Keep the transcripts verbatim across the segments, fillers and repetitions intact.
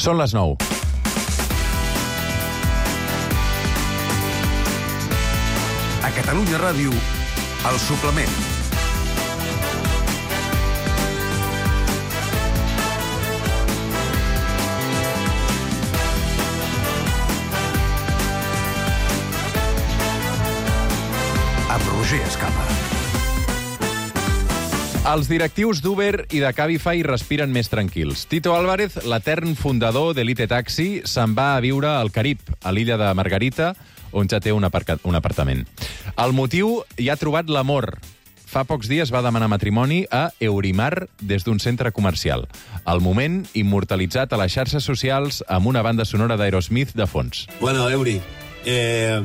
Són les nou. A Catalunya Ràdio, El Suplement. Amb Roger Escapa. Els directius d'Uber i de Cabify respiren més tranquils. Tito Álvarez, l'etern fundador d'Elite Taxi, se'n va a viure al Carib, a l'illa de Margarita, on ja té un, aparca... un apartament. El motiu hi ha trobat l'amor. Fa pocs dies va demanar matrimoni a Eurimar des d'un centre comercial. El moment immortalitzat a les xarxes socials amb una banda sonora d'Aerosmith de fons. Bueno, Euri, eh,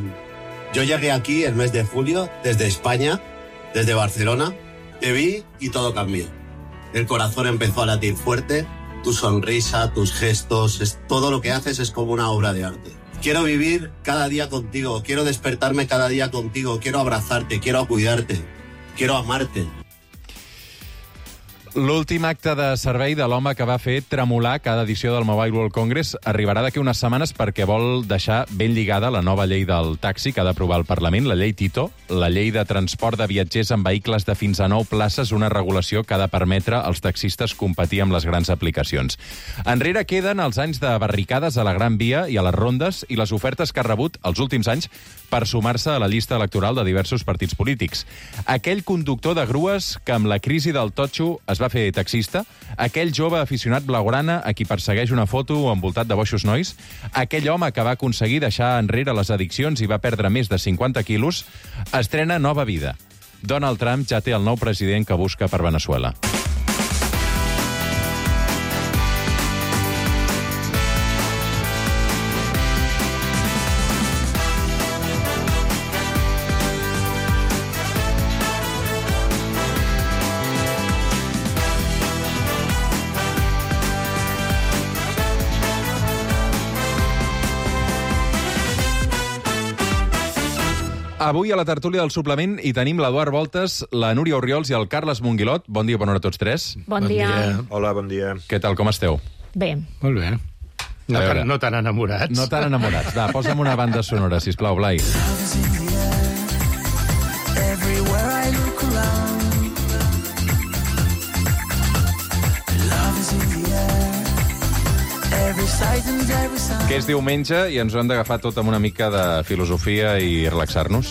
yo llegué aquí el mes de julio desde España, desde Barcelona. Te vi y todo cambió. El corazón empezó a latir fuerte, tu sonrisa, tus gestos, es, todo lo que haces es como una obra de arte. Quiero vivir cada día contigo, quiero despertarme cada día contigo, quiero abrazarte, quiero cuidarte, quiero amarte. L'últim acte de servei de l'home que va fer tremolar cada edició del Mobile World Congress arribarà d'aquí unes setmanes perquè vol deixar ben lligada la nova llei del taxi que ha d'aprovar el Parlament, la llei Tito, la llei de transport de viatgers en vehicles de fins a nou places, una regulació que ha de permetre als taxistes competir amb les grans aplicacions. Enrere queden els anys de barricades a la Gran Via i a les rondes i les ofertes que ha rebut els últims anys per sumar-se a la llista electoral de diversos partits polítics. Aquell conductor de grues que amb la crisi del totxo es va fer taxista, aquell jove aficionat blaugrana a qui persegueix una foto envoltat de boixos nois, aquell home que va aconseguir deixar enrere les addiccions i va perdre més de cinquanta quilos, estrena nova vida. Donald Trump ja té el nou president que busca per Veneçuela. Avui a la tertúlia del suplement hi tenim l'Eduard Voltes, la Núria Orriols i el Carles Monguilot. Bon dia, bona hora a tots tres. Bon, bon dia. dia. Hola, bon dia. Què tal, com esteu? Bé. Molt bé. No tan, no tan enamorats. No tan enamorats. Va, posa'm una banda sonora, sisplau, Blai. Que és diumenge i ens ho hem d'agafar tot amb una mica de filosofia i relaxar-nos.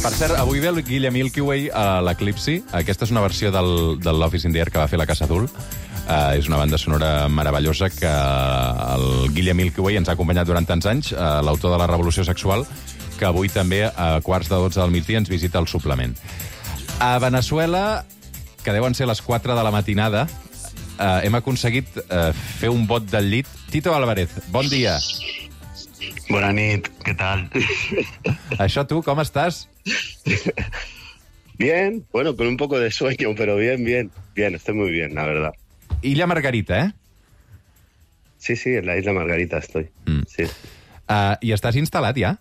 Per cert, avui ve el Guille Milky Way a l'Eclipsi. Aquesta és una versió del, de l'Office in the Air que va fer la Casa Azul. Uh, és una banda sonora meravellosa que el Guille Milky Way ens ha acompanyat durant tants anys, uh, l'autor de la Revolució Sexual, que avui també a quarts de dotze del migdia ens visita el suplement. A Veneçuela, que deuen ser les quatre de la matinada, eh, hem aconseguit eh, fer un bot del llit. Tito Álvarez, bon dia. Bona nit, què tal? Això tu, com estàs? Bien, bueno, con un poco de sueño, pero bien, bien. Bien, estoy muy bien, la verdad. Illa Margarita, eh? Sí, sí, en la Isla Margarita estoy. Mm. Sí. Uh, ¿Y estás instalado ya?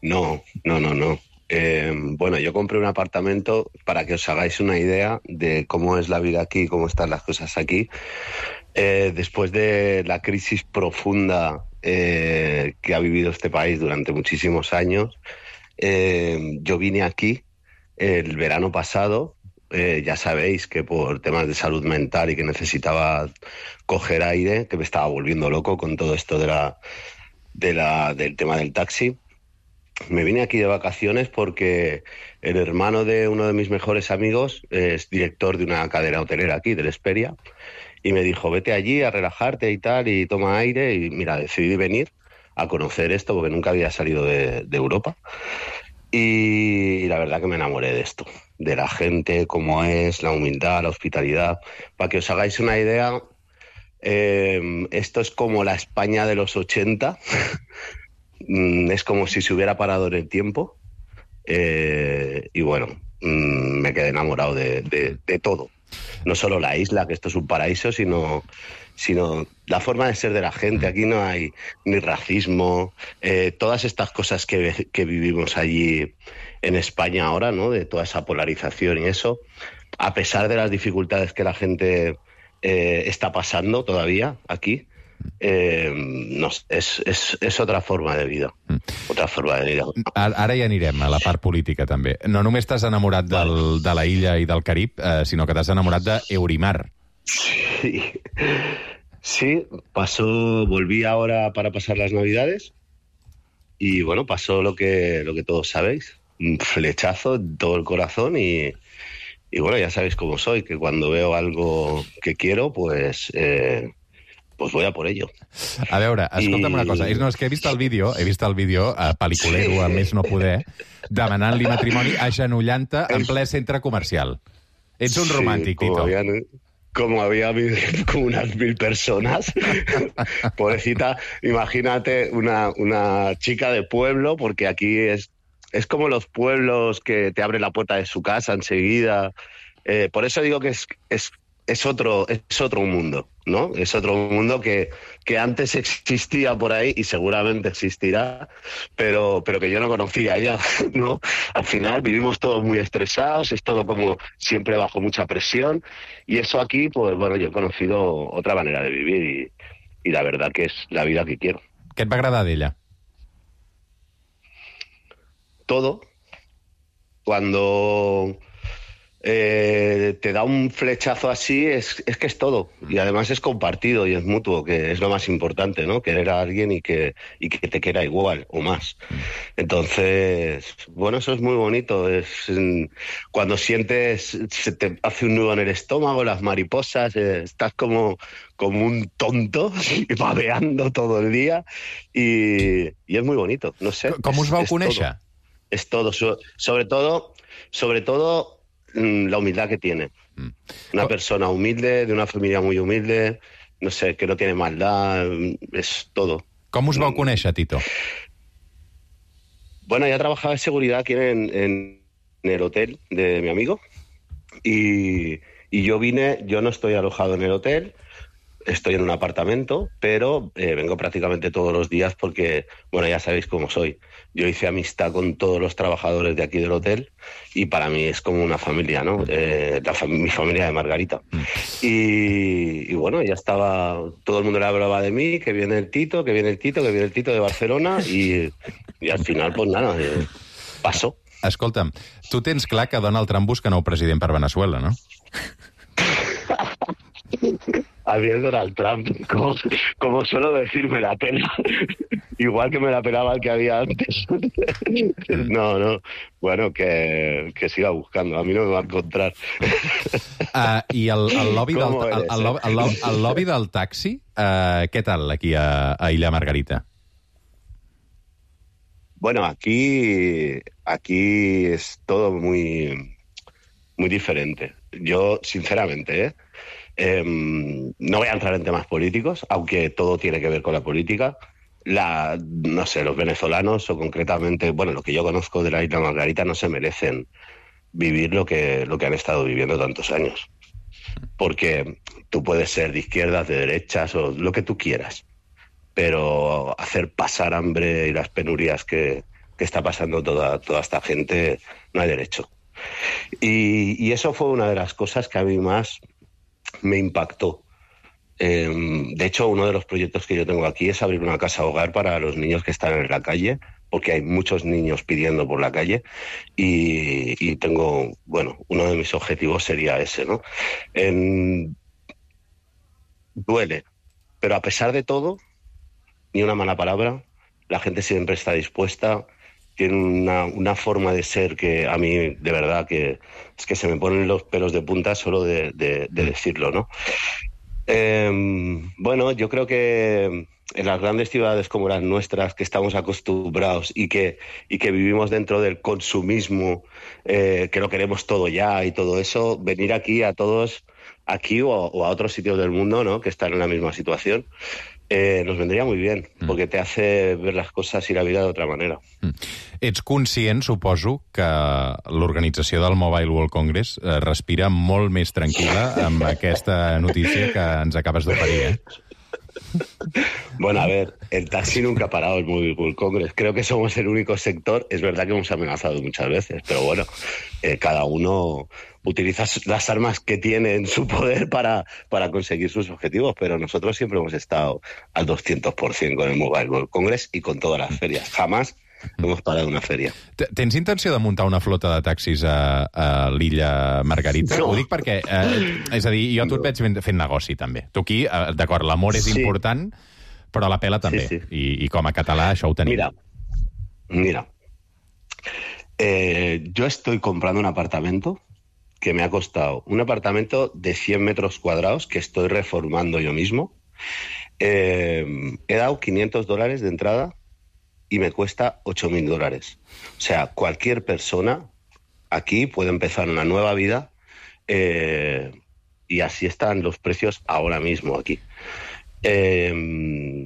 No, no, no, no. Eh, bueno, yo compré un apartamento para que os hagáis una idea de cómo es la vida aquí, cómo están las cosas aquí. Eh, después de la crisis profunda eh, que ha vivido este país durante muchísimos años, eh, yo vine aquí el verano pasado. Eh, ya sabéis que por temas de salud mental y que necesitaba coger aire, que me estaba volviendo loco con todo esto de la, de la, del tema del taxi. Me vine aquí de vacaciones porque el hermano de uno de mis mejores amigos es director de una cadena hotelera aquí, del Hesperia, y me dijo, vete allí a relajarte y tal, y toma aire, y mira, decidí venir a conocer esto porque nunca había salido de, de Europa, y la verdad que me enamoré de esto, de la gente, cómo es, la humildad, la hospitalidad. Para que os hagáis una idea, eh, esto es como la España de los ochenta. Es como si se hubiera parado en el tiempo eh, y bueno, mmm, me quedé enamorado de, de, de todo. No solo la isla, que esto es un paraíso, sino, sino la forma de ser de la gente. Aquí no hay ni racismo, eh, todas estas cosas que, que vivimos allí en España ahora, ¿no? De toda esa polarización y eso, a pesar de las dificultades que la gente eh, está pasando todavía aquí, eh, no, és, és, és otra forma de vida. Mm. Otra forma de vida. Ara ja anirem a la part política, també. No només t'has enamorat del, de la illa i del Carib, eh, sinó que t'has enamorat d'Eurimar. Sí. Sí, pasó, volví ahora para pasar las Navidades y, bueno, pasó lo que, lo que todos sabéis. Un flechazo en todo el corazón y... Y bueno, ya sabéis cómo soy, que cuando veo algo que quiero, pues... Eh, pues voy a por ello. A veure, escolta'm I... una cosa. No, és que he vist el vídeo, he vist el vídeo, a pel·liculero, sí. A més no poder, demanant-li matrimoni agenollant-te en ple centre comercial. Ets un sí, romàntic, Tito. Habían, como había como unas mil personas. Pobrecita, imagínate una, una chica de pueblo, porque aquí es, es como los pueblos que te abren la puerta de su casa enseguida. Eh, por eso digo que es... es Es otro, es otro mundo, ¿no? Es otro mundo que, que antes existía por ahí y seguramente existirá, pero, pero que yo no conocía ya, ¿no? Al final vivimos todos muy estresados, es todo como siempre bajo mucha presión, y eso aquí, pues bueno, yo he conocido otra manera de vivir y, y la verdad que es la vida que quiero. Què et va agradar d'ella? Todo. Cuando... Eh, te da un flechazo así, es, es que es todo. Y además es compartido y es mutuo, que es lo más importante, ¿no? Querer a alguien y que, y que te quiera igual o más. Entonces, bueno, eso es muy bonito. Es cuando sientes, se te hace un nudo en el estómago, las mariposas, eh, estás como, como un tonto, babeando todo el día. Y, y es muy bonito, no sé. ¿Cómo us vau conèixer? Es todo. So, sobre todo, sobre todo... la humildad que tiene. Una persona humilde, de una familia muy humilde, no sé, que no tiene maldad, es todo. ¿Cómo us vau conèixer, Tito? Bueno, ya trabajaba de seguridad aquí en, en, en el hotel de mi amigo y, y yo vine, yo no estoy alojado en el hotel, estoy en un apartamento, pero eh, vengo prácticamente todos los días porque, bueno, ya sabéis cómo soy. Yo hice amistad con todos los trabajadores de aquí del hotel y para mí es como una familia, ¿no? Eh, la fam- mi familia de Margarita. Y, y bueno, ya estaba, todo el mundo le hablaba de mí, que viene el Tito, que viene el Tito, que viene el Tito de Barcelona y, y al final, pues nada, eh, pasó. Escolta'm, tu tens clar que Donald Trump busca nou president per Venezuela, no? A mí es Donald Trump, como, como suelo decir, me la pela. Igual que me la pelaba el que había antes. No, no. Bueno, que, que siga buscando. A mí no me va a encontrar. Uh, I el, el, lobby del, eres, el, el, el, el, el lobby del taxi, uh, què tal aquí a, a Illa Margarita? Bueno, aquí, aquí es todo muy, muy diferente. Yo, sinceramente, ¿eh? Eh, no voy a entrar en temas políticos, aunque todo tiene que ver con la política. La, no sé, los venezolanos, o concretamente, bueno, lo que yo conozco de la Isla Margarita, no se merecen vivir lo que, lo que han estado viviendo tantos años. Porque tú puedes ser de izquierdas, de derechas, o lo que tú quieras, pero hacer pasar hambre y las penurias que, que está pasando toda, toda esta gente, no hay derecho. Y, y eso fue una de las cosas que a mí más me impactó. Eh, de hecho, uno de los proyectos que yo tengo aquí es abrir una casa hogar para los niños que están en la calle, porque hay muchos niños pidiendo por la calle y, y tengo, bueno, uno de mis objetivos sería ese, ¿no? En... Duele, pero a pesar de todo, ni una mala palabra, la gente siempre está dispuesta, tiene una, una forma de ser que a mí, de verdad, que es que se me ponen los pelos de punta solo de, de, de decirlo, ¿no? Eh, bueno, yo creo que en las grandes ciudades como las nuestras, que estamos acostumbrados y que, y que vivimos dentro del consumismo, eh, que lo queremos todo ya y todo eso, venir aquí a todos, aquí o, o a otros sitios del mundo, ¿no?, que están en la misma situación, Eh, nos vendría muy bien, mm. porque te hace ver las cosas y la vida de otra manera. Mm. Ets conscient, suposo, que l'organització del Mobile World Congress eh, respira molt més tranquil·la amb aquesta notícia que ens acabes d'oferir, eh? Bueno, a ver, el taxi nunca ha parado el Mobile World Congress. Creo que somos el único sector. Es verdad que hemos amenazado muchas veces, pero bueno, eh, cada uno utiliza las armas que tiene en su poder para, para conseguir sus objetivos, pero nosotros siempre hemos estado al doscientos por ciento con el Mobile World Congress y con todas las ferias. Jamás hemos parado una feria. Tens intenció de muntar una flota de taxis a, a l'illa Margarita? No. Ho dic perquè, eh, és a dir, jo a tu et veig fent, fent negoci, també. Tu aquí, eh, d'acord, l'amor és Sí. important, però la pela també. Sí, sí. I, I com a català això ho tenim. Mira, mira. Eh, yo estoy comprando un apartamento que me ha costado un apartamento de cien metros cuadrados que estoy reformando yo mismo. Eh, he dado quinientos dólares de entrada y me cuesta ocho mil dólares. O sea, cualquier persona aquí puede empezar una nueva vida eh, y así están los precios ahora mismo aquí. Eh,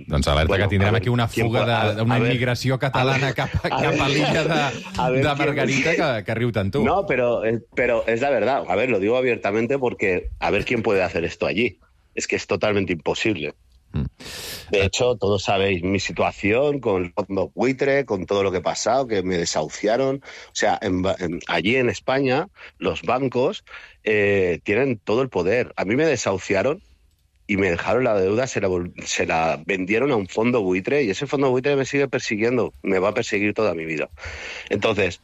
Doncs alerta bueno, que tindrem ver, aquí una fuga puede, d'una a ver, immigració catalana a ver, cap, a, a cap a ver, l'illa de, a ver de quién- Margarita que, que riu tant tu. No, pero, eh, pero es la verdad. A ver, lo digo abiertamente porque a ver quién puede hacer esto allí. Es que es totalmente imposible. De hecho, todos sabéis mi situación con el fondo buitre, con todo lo que he pasado, que me desahuciaron. O sea, en, en, allí en España los bancos eh, tienen todo el poder. A mí me desahuciaron y me dejaron la deuda, se la, se la vendieron a un fondo buitre y ese fondo buitre me sigue persiguiendo, me va a perseguir toda mi vida. Entonces,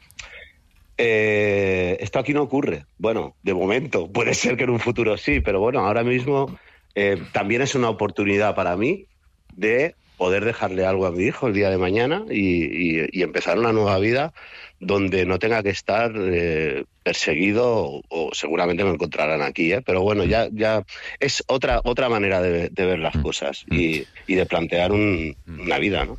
eh, esto aquí no ocurre. Bueno, de momento, puede ser que en un futuro sí, pero bueno, ahora mismo eh, también es una oportunidad para mí de poder dejarle algo a mi hijo el día de mañana y, y, y empezar una nueva vida donde no tenga que estar eh, perseguido o, o seguramente me encontrarán aquí, ¿eh? Pero bueno, ya, ya es otra, otra manera de, de ver las cosas y, y de plantear un, una vida, ¿no?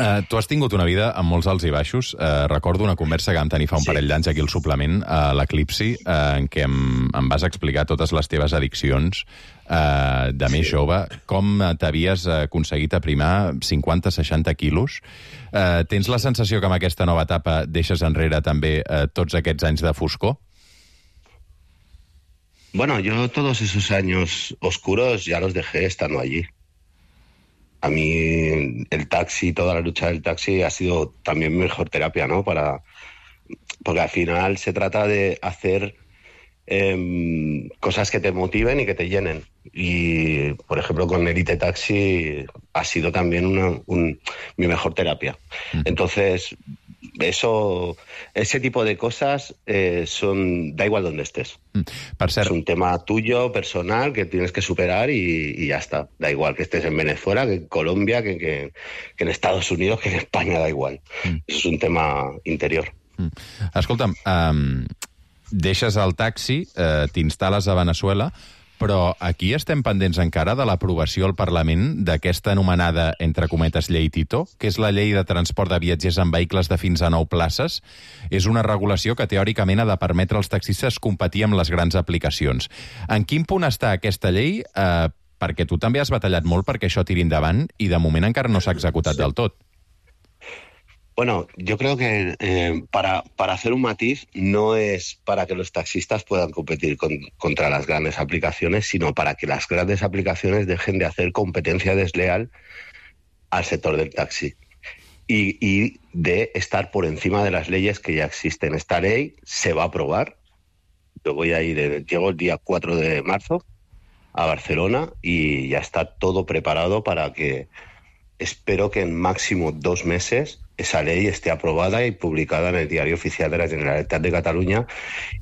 Uh, tu has tingut una vida amb molts alts i baixos. Uh, recordo una conversa que vam tenir fa un Sí. parell d'anys aquí al suplement, a l'Eclipsi, uh, en què em, em vas explicar totes les teves addiccions uh, de més jove, com t'havies aconseguit aprimar cinquanta seixanta quilos. Uh, tens la sensació que amb aquesta nova etapa deixes enrere també uh, tots aquests anys de foscor? Bueno, yo todos esos años oscuros ya los dejé estando allí. A mí el taxi, toda la lucha del taxi ha sido también mi mejor terapia, ¿no? Para, porque al final se trata de hacer eh, cosas que te motiven y que te llenen. Y, por ejemplo, con Elite Taxi ha sido también una, un, mi mejor terapia. Entonces, eso, ese tipo de cosas eh, son, da igual donde estés. Per cert, Es un tema tuyo, personal, que tienes que superar y, y ya está. Da igual que estés en Venezuela, que en Colombia, que, que, que en Estados Unidos, que en España, da igual. Mm. Eso es un tema interior. Mm. Escolta'm, um, deixes el taxi, uh, t'instal·les a Venezuela, però aquí estem pendents encara de l'aprovació al Parlament d'aquesta anomenada, entre cometes, llei Tito, que és la llei de transport de viatgers en vehicles de fins a nou places. És una regulació que teòricament ha de permetre als taxistes competir amb les grans aplicacions. En quin punt està aquesta llei? Eh, perquè tu també has batallat molt perquè això tiri endavant i de moment encara no s'ha executat del tot. Bueno, yo creo que eh, para, para hacer un matiz no es para que los taxistas puedan competir con, contra las grandes aplicaciones, sino para que las grandes aplicaciones dejen de hacer competencia desleal al sector del taxi y, y de estar por encima de las leyes que ya existen. Esta ley se va a aprobar. Yo voy a ir, eh, llego el día cuatro de marzo a Barcelona y ya está todo preparado para que, espero que en máximo dos meses esa ley esté aprobada y publicada en el Diario Oficial de la Generalitat de Cataluña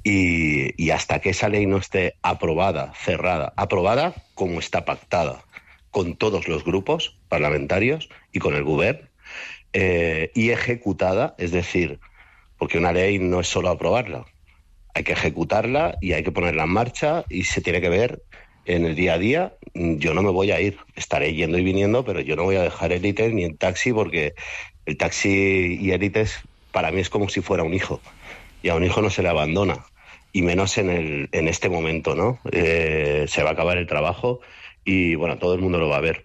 y, y hasta que esa ley no esté aprobada, cerrada, aprobada como está pactada con todos los grupos parlamentarios y con el Govern eh, y ejecutada, es decir, porque una ley no es solo aprobarla, hay que ejecutarla y hay que ponerla en marcha y se tiene que ver en el día a día. Yo no me voy a ir, estaré yendo y viniendo, pero yo no voy a dejar Elite ni el taxi porque el taxi y Élites para mí es como si fuera un hijo y a un hijo no se le abandona y menos en, el, en este momento, ¿no? Eh, se va a acabar el trabajo y bueno, todo el mundo lo va a ver.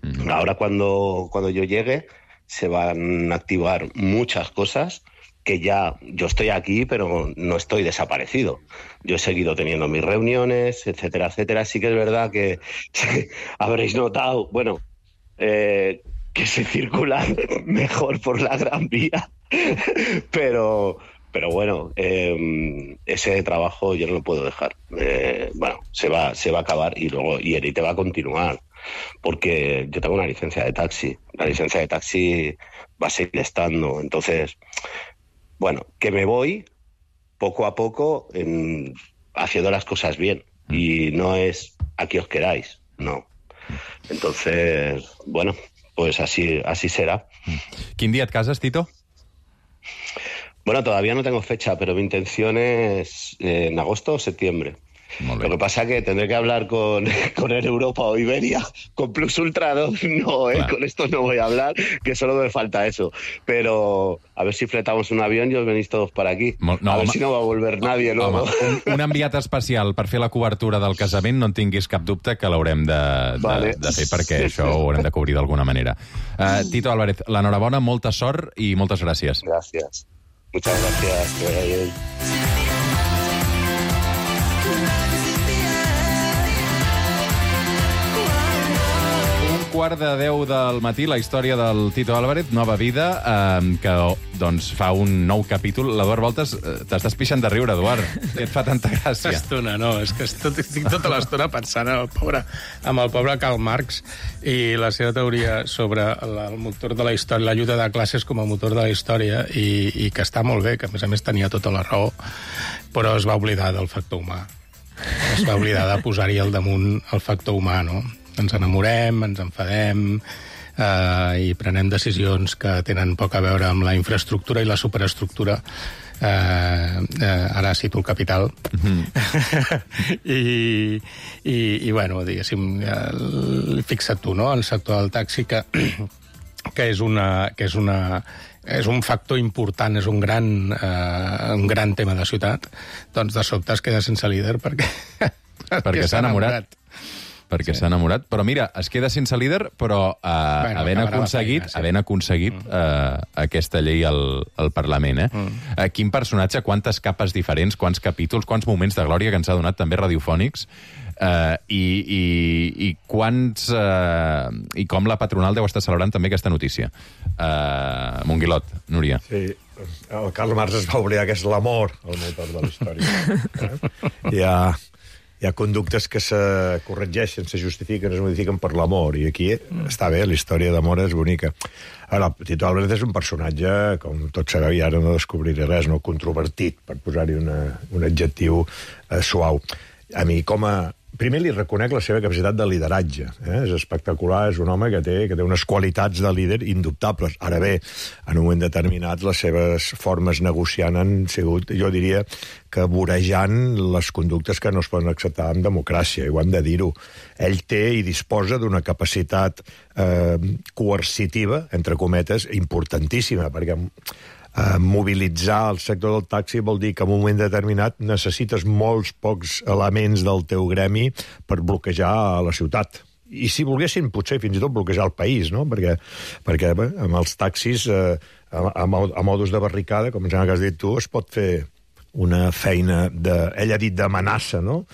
Uh-huh. Ahora cuando, cuando yo llegue se van a activar muchas cosas que ya yo estoy aquí, pero no estoy desaparecido. Yo he seguido teniendo mis reuniones, etcétera, etcétera. Sí que es verdad que habréis notado, bueno, eh, que se circula mejor por la Gran Vía, pero... Pero bueno, eh, ese trabajo yo no lo puedo dejar. Eh, bueno, se va, se va a acabar y luego y Erite va a continuar, porque yo tengo una licencia de taxi. La licencia de taxi va a seguir estando. Entonces, bueno, que me voy poco a poco en, haciendo las cosas bien. Y no es aquí os queráis, no. Entonces, bueno, pues así, así será. Quin dia et cases, Tito? Bueno, todavía no tengo fecha, pero mi intención es eh, en agosto o septiembre. Lo que pasa es que tendré que hablar con, con Air Europa o Iberia, con Plus Ultra no, no eh, con esto no voy a hablar, que solo me falta eso. Pero a ver si fletamos un avión i os venís todos per aquí. No, a ver home, si no va a volver nadie, no? Home, un, un enviat especial per fer la cobertura del casament, no en tinguis cap dubte que l'haurem de, de, vale. de fer, perquè això ho haurem de cobrir d'alguna manera. Uh, Tito Álvarez, l'enhorabona, molta sort i moltes gràcies. Gràcies. Muchas gracias. Que vaya bien. Un quart de deu del matí, la història del Tito Álvarez, Nova Vida, eh, que doncs, fa un nou capítol. L'Eduard Voltes, eh, t'estàs pixant de riure, Eduard. Què et fa tanta gràcia? Estona, no, és que tot, estic tota l'estona pensant en el pobre, amb el pobre Karl Marx i la seva teoria sobre el, el motor de la història, la lluita de classes com a motor de la història, i, i que està molt bé, que a més a més tenia tota la raó, però es va oblidar del factor humà. Es va oblidar de posar-hi al damunt el factor humà, no? Ens enamorem, ens enfadem, eh, i prenem decisions que tenen poc a veure amb la infraestructura i la superestructura. Eh, eh, ara cito el Capital. Mm-hmm. I, i, i, bueno, diguéssim, eh, fixa't tu, no?, el sector del taxi, que, que és una... Que és una és un factor important, és un gran, eh, un gran tema de ciutat, doncs de sobte es queda sense líder perquè, perquè s'ha enamorat. perquè sí. s'ha enamorat. Però mira, es queda sense líder, però eh, bueno, havent aconseguit, feina, sí. havent aconseguit mm. eh, aquesta llei al, al Parlament. Eh? Mm. Eh, quin personatge, quantes capes diferents, quants capítols, quants moments de glòria que ens ha donat també radiofònics, eh, i, i, i quants... Eh, i com la patronal deu estar celebrant també aquesta notícia. Eh, Monguilot, Núria. Sí, el Karl Marx es va oblidar que és l'amor el motor de la història. Eh? Hi ha... Hi ha conductes que se corregeixen, se justifiquen, es modifiquen per l'amor, i aquí mm. està bé, la història d'amor és bonica. Ara, Tito Álvarez és un personatge, com tots sabeu, i ara no descobriré res, no controvertit, per posar-hi un adjectiu eh, suau. A mi, com a... Primer li reconec la seva capacitat de lideratge. Eh? És espectacular, és un home que té, que té unes qualitats de líder indubtables. Ara bé, en un moment determinat, les seves formes negociant han sigut, jo diria, que vorejant les conductes que no es poden acceptar en democràcia, i ho hem de dir-ho. Ell té i disposa d'una capacitat eh, coercitiva, entre cometes, importantíssima, perquè Uh, mobilitzar el sector del taxi vol dir que en un moment determinat necessites molts pocs elements del teu gremi per bloquejar la ciutat. I si volguessin, potser fins i tot bloquejar el país, no? Perquè, perquè bé, amb els taxis, eh, a, a modus de barricada, com ja has dit tu, es pot fer una feina, de, ell ha dit d'amenaça, no?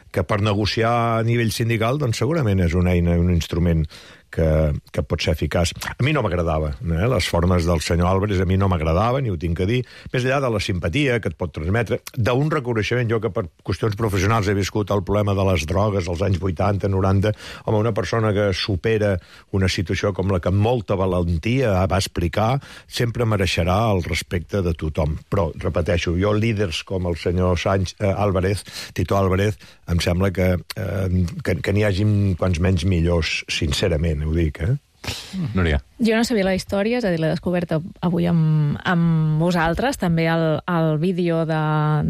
Que per negociar a nivell sindical, doncs segurament és una eina, un instrument que, que pot ser eficaç. A mi no m'agradava, eh? Les formes del senyor Álvarez a mi no m'agradaven, i ho tinc que dir, més enllà de la simpatia que et pot transmetre, d'un reconeixement, jo que per qüestions professionals he viscut el problema de les drogues als anys vuitanta, noranta, home, una persona que supera una situació com la que amb molta valentia va explicar, sempre mereixerà el respecte de tothom. Però, repeteixo, jo líders com el senyor Sánchez, eh, Álvarez, Tito Álvarez, em sembla que, eh, que, que n'hi hagi quants menys millors, sincerament, ho dic, eh? Núria. Jo no sabia la història, és a dir, l'he descoberta avui amb, amb vosaltres, també el, el vídeo de,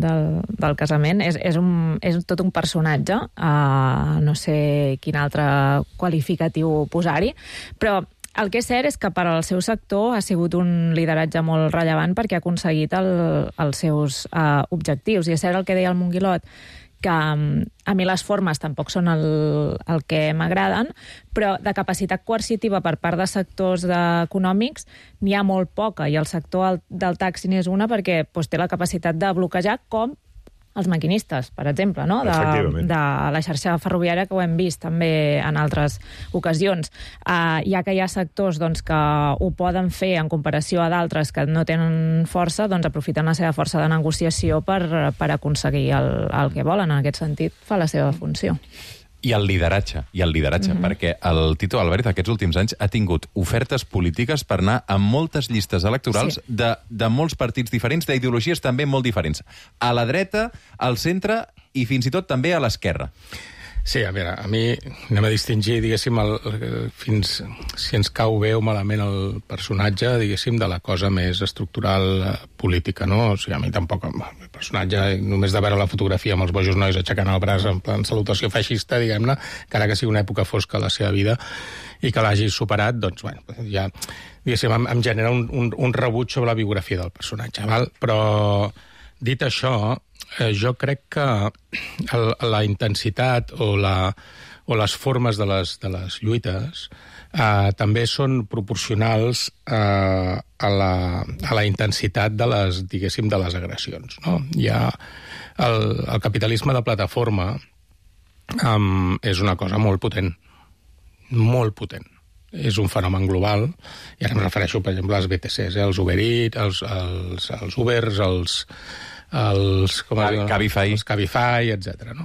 del, del casament. És, és, un, és tot un personatge, uh, no sé quin altre qualificatiu posar-hi, però el que és cert és que per al seu sector ha sigut un lideratge molt rellevant perquè ha aconseguit el, els seus uh, objectius. I és cert el que deia el Monguilot, que a mi les formes tampoc són el, el que m'agraden, però de capacitat coercitiva per part de sectors econòmics n'hi ha molt poca, i el sector del taxi n'és una perquè doncs, té la capacitat de bloquejar, com els maquinistes, per exemple, no? de, de la xarxa ferroviària, que ho hem vist també en altres ocasions. Uh, ja que hi ha sectors doncs, que ho poden fer en comparació a d'altres que no tenen força, doncs aprofiten la seva força de negociació per, per aconseguir el, el que volen. En aquest sentit, fa la seva funció. I el lideratge, i el lideratge, mm-hmm. perquè el Tito Álvarez aquests últims anys ha tingut ofertes polítiques per anar a moltes llistes electorals sí. de, de molts partits diferents, d'ideologies també molt diferents. A la dreta, al centre i fins i tot també a l'esquerra. Sí, a veure, a mi anem a distingir, diguéssim, el, fins si ens cau bé o malament el personatge, diguéssim, de la cosa més estructural política, no? O sigui, a mi tampoc, el personatge, només de veure la fotografia amb els bojos nois aixecant el braç en plan salutació feixista, diguem-ne, encara que sigui una època fosca a la seva vida i que l'hagi superat, doncs, bueno, ja, diguéssim, em, em genera un, un, un rebuig sobre la biografia del personatge, val? Però, dit això, eh, jo crec que el, la intensitat o, la, o les formes de les, de les lluites eh, també són proporcionals eh, a, la, a la intensitat de les, diguéssim, de les agressions. No? Hi ha el, el capitalisme de plataforma um, és una cosa molt potent, molt potent. És un fenomen global, i ara em refereixo, per exemple, als B T Cs, eh? els Uber Eats, els, els, els Ubers, els, els, com Cabi, Cabify, els Cabify, etcètera. No?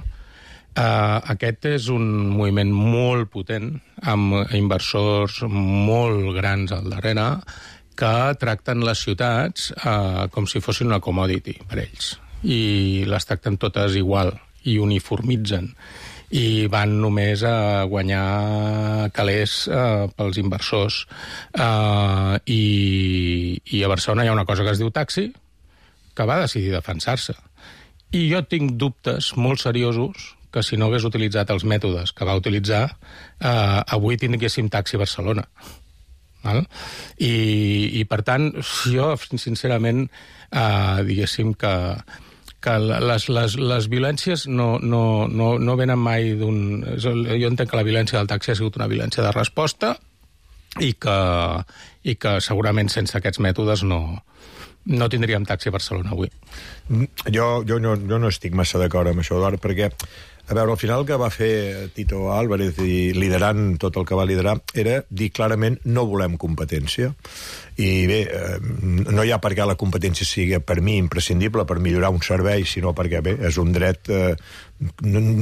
Uh, aquest és un moviment molt potent, amb inversors molt grans al darrere, que tracten les ciutats uh, com si fossin una commodity per ells, i les tracten totes igual, i uniformitzen, i van només a guanyar calés eh, pels inversors. Eh, i, I a Barcelona hi ha una cosa que es diu taxi, que va decidir defensar-se. I jo tinc dubtes molt seriosos que si no hagués utilitzat els mètodes que va utilitzar, eh, avui tinguéssim taxi a Barcelona. Val? I, I, per tant, jo, sincerament, eh, diguéssim que que les, les, les violències no, no, no, no venen mai d'un... Jo entenc que la violència del taxi ha sigut una violència de resposta i que, i que segurament sense aquests mètodes no, no tindríem taxi a Barcelona avui. Jo, jo, no, jo no estic massa d'acord amb això, Eduard, perquè, a veure, al final el que va fer Tito Álvarez i liderant tot el que va liderar era dir clarament no volem competència. I bé, eh, no hi ha per què la competència sigui per mi imprescindible per millorar un servei, sinó perquè bé, és un dret, eh,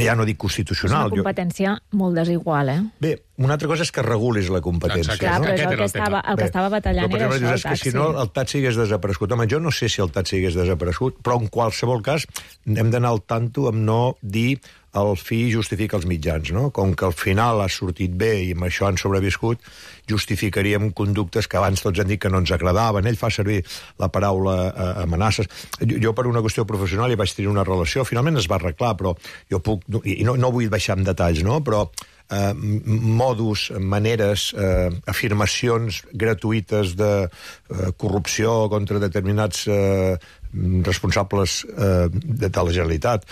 ja no dic constitucional. És una competència jo... molt desigual, eh? Bé, una altra cosa és que regulis la competència. Clar, no? però és el que estava, el que estava batallant era això, el taxi. Que si no, el taxi hagués desaparegut. Home, jo no sé si el taxi hagués desaparegut, però en qualsevol cas hem d'anar al tanto amb no dir el fi justifica els mitjans, no? Com que al final ha sortit bé i amb això han sobreviscut, justificaríem conductes que abans tots han dit que no ens agradaven. Ell fa servir la paraula eh, amenaces. Jo, jo, per una qüestió professional, hi vaig tenir una relació. Finalment es va arreglar, però jo puc... I no, no vull baixar en detalls, no? Però eh, modus, maneres, eh, afirmacions gratuïtes de eh, corrupció contra determinats eh, responsables eh, de, de la Generalitat,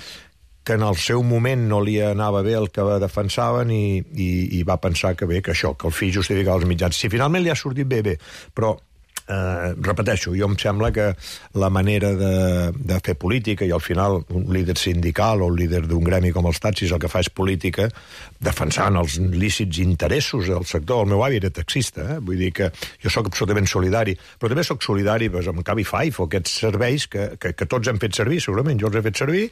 que en el seu moment no li anava bé el que defensaven i, i, i va pensar que bé, que això, que el fi justificava els mitjans. Si finalment li ha sortit bé, bé, però eh, repeteixo, jo em sembla que la manera de, de fer política, i al final un líder sindical o un líder d'un gremi com els taxis el que fa és política defensant els lícits interessos del sector. El meu avi era taxista, eh? Vull dir que jo sóc absolutament solidari, però també sóc solidari pues, amb Cabify o aquests serveis que, que, que tots hem fet servir, segurament jo els he fet servir,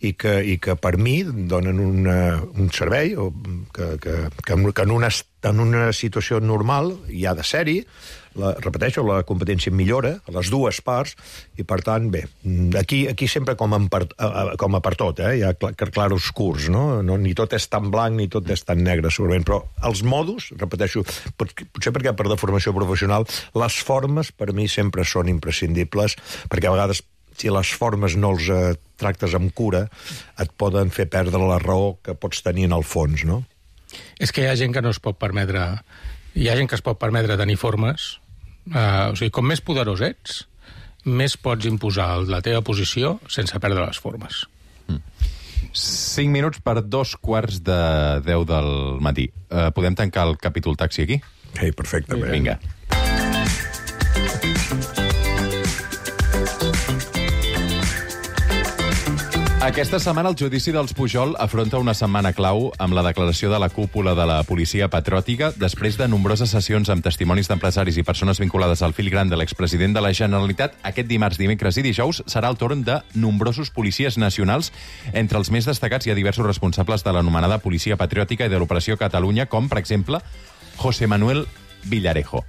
i que, i que per mi donen una, un servei o que, que, que, que en, una, en una situació normal hi ha de ser-hi. La, repeteixo, la competència millora a les dues parts i, per tant, bé, aquí, aquí sempre com, en per, com a per tot, eh? Hi ha clar, claroscurs, no? no? Ni tot és tan blanc ni tot és tan negre, segurament, però els modus, repeteixo, pot, potser perquè per deformació professional, les formes per mi sempre són imprescindibles, perquè a vegades si les formes no els eh, tractes amb cura, et poden fer perdre la raó que pots tenir en el fons, no? És que hi ha gent que no es pot permetre... Hi ha gent que es pot permetre tenir formes. Uh, o sigui, com més poderós ets, més pots imposar la teva posició sense perdre les formes. Mm. Cinc minuts per dos quarts de deu del matí. Uh, podem tancar el capítol taxi aquí? Sí, perfectament. Vinga. Aquesta setmana el judici dels Pujol afronta una setmana clau amb la declaració de la cúpula de la policia patriòtica després de nombroses sessions amb testimonis d'empresaris i persones vinculades al fil gran de l'expresident de la Generalitat. Aquest dimarts, dimecres i dijous serà el torn de nombrosos policies nacionals. Entre els més destacats hi ha diversos responsables de l'anomenada policia patriòtica i de l'Operació Catalunya, com, per exemple, José Manuel Villarejo.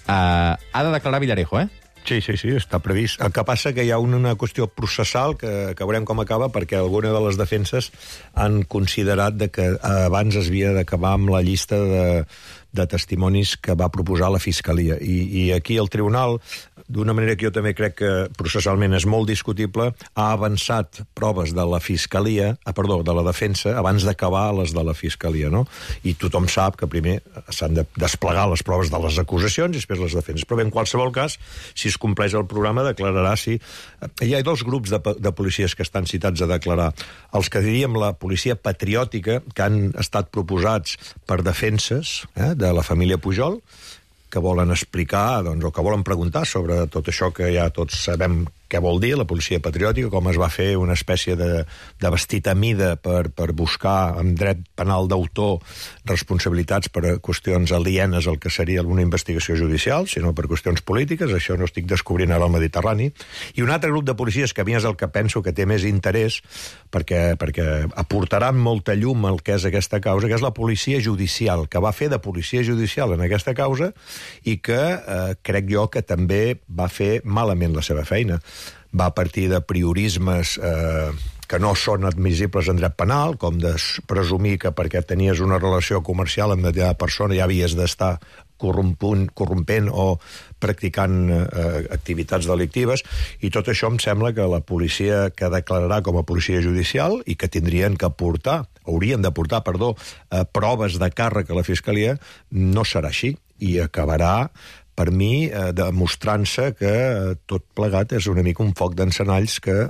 Uh, ha de declarar Villarejo, eh? Sí, sí, sí, està previst. El que passa que hi ha una qüestió processal que, que veurem com acaba, perquè alguna de les defenses han considerat de que abans es havia d'acabar amb la llista de, de testimonis que va proposar la Fiscalia. I, i aquí el Tribunal, d'una manera que jo també crec que processalment és molt discutible, ha avançat proves de la Fiscalia, ah, perdó, de la defensa, abans d'acabar les de la Fiscalia, no? I tothom sap que primer s'han de desplegar les proves de les acusacions i després les defenses. Però bé, en qualsevol cas, si es compleix el programa, declararà si... Hi ha dos grups de, de policies que estan citats a declarar. Els que diríem la policia patriòtica, que han estat proposats per defenses eh, de la família Pujol, que volen explicar, doncs, o que volen preguntar sobre tot això que ja tots sabem què vol dir, la policia patriòtica, com es va fer una espècie de, de vestit a mida per, per buscar amb dret penal d'autor responsabilitats per a qüestions alienes al que seria una investigació judicial, sinó per qüestions polítiques. Això no estic descobrint ara al Mediterrani. I un altre grup de policies, que a mi és el que penso que té més interès, perquè, perquè aportaran molta llum al que és aquesta causa, que és la policia judicial, que va fer de policia judicial en aquesta causa i que eh, crec jo que també va fer malament la seva feina. Va partir de priorismes eh, que no són admissibles en dret penal, com de presumir que perquè tenies una relació comercial amb determinada persona ja havies d'estar corrompent o practicant eh, activitats delictives, i tot això em sembla que la policia que declararà com a policia judicial i que tindrien que aportar, haurien d'aportar, perdó, eh, proves de càrrec a la Fiscalia, no serà així, i acabarà per mi, eh, demostrant-se que eh, tot plegat és una mica un foc d'encenalls que eh,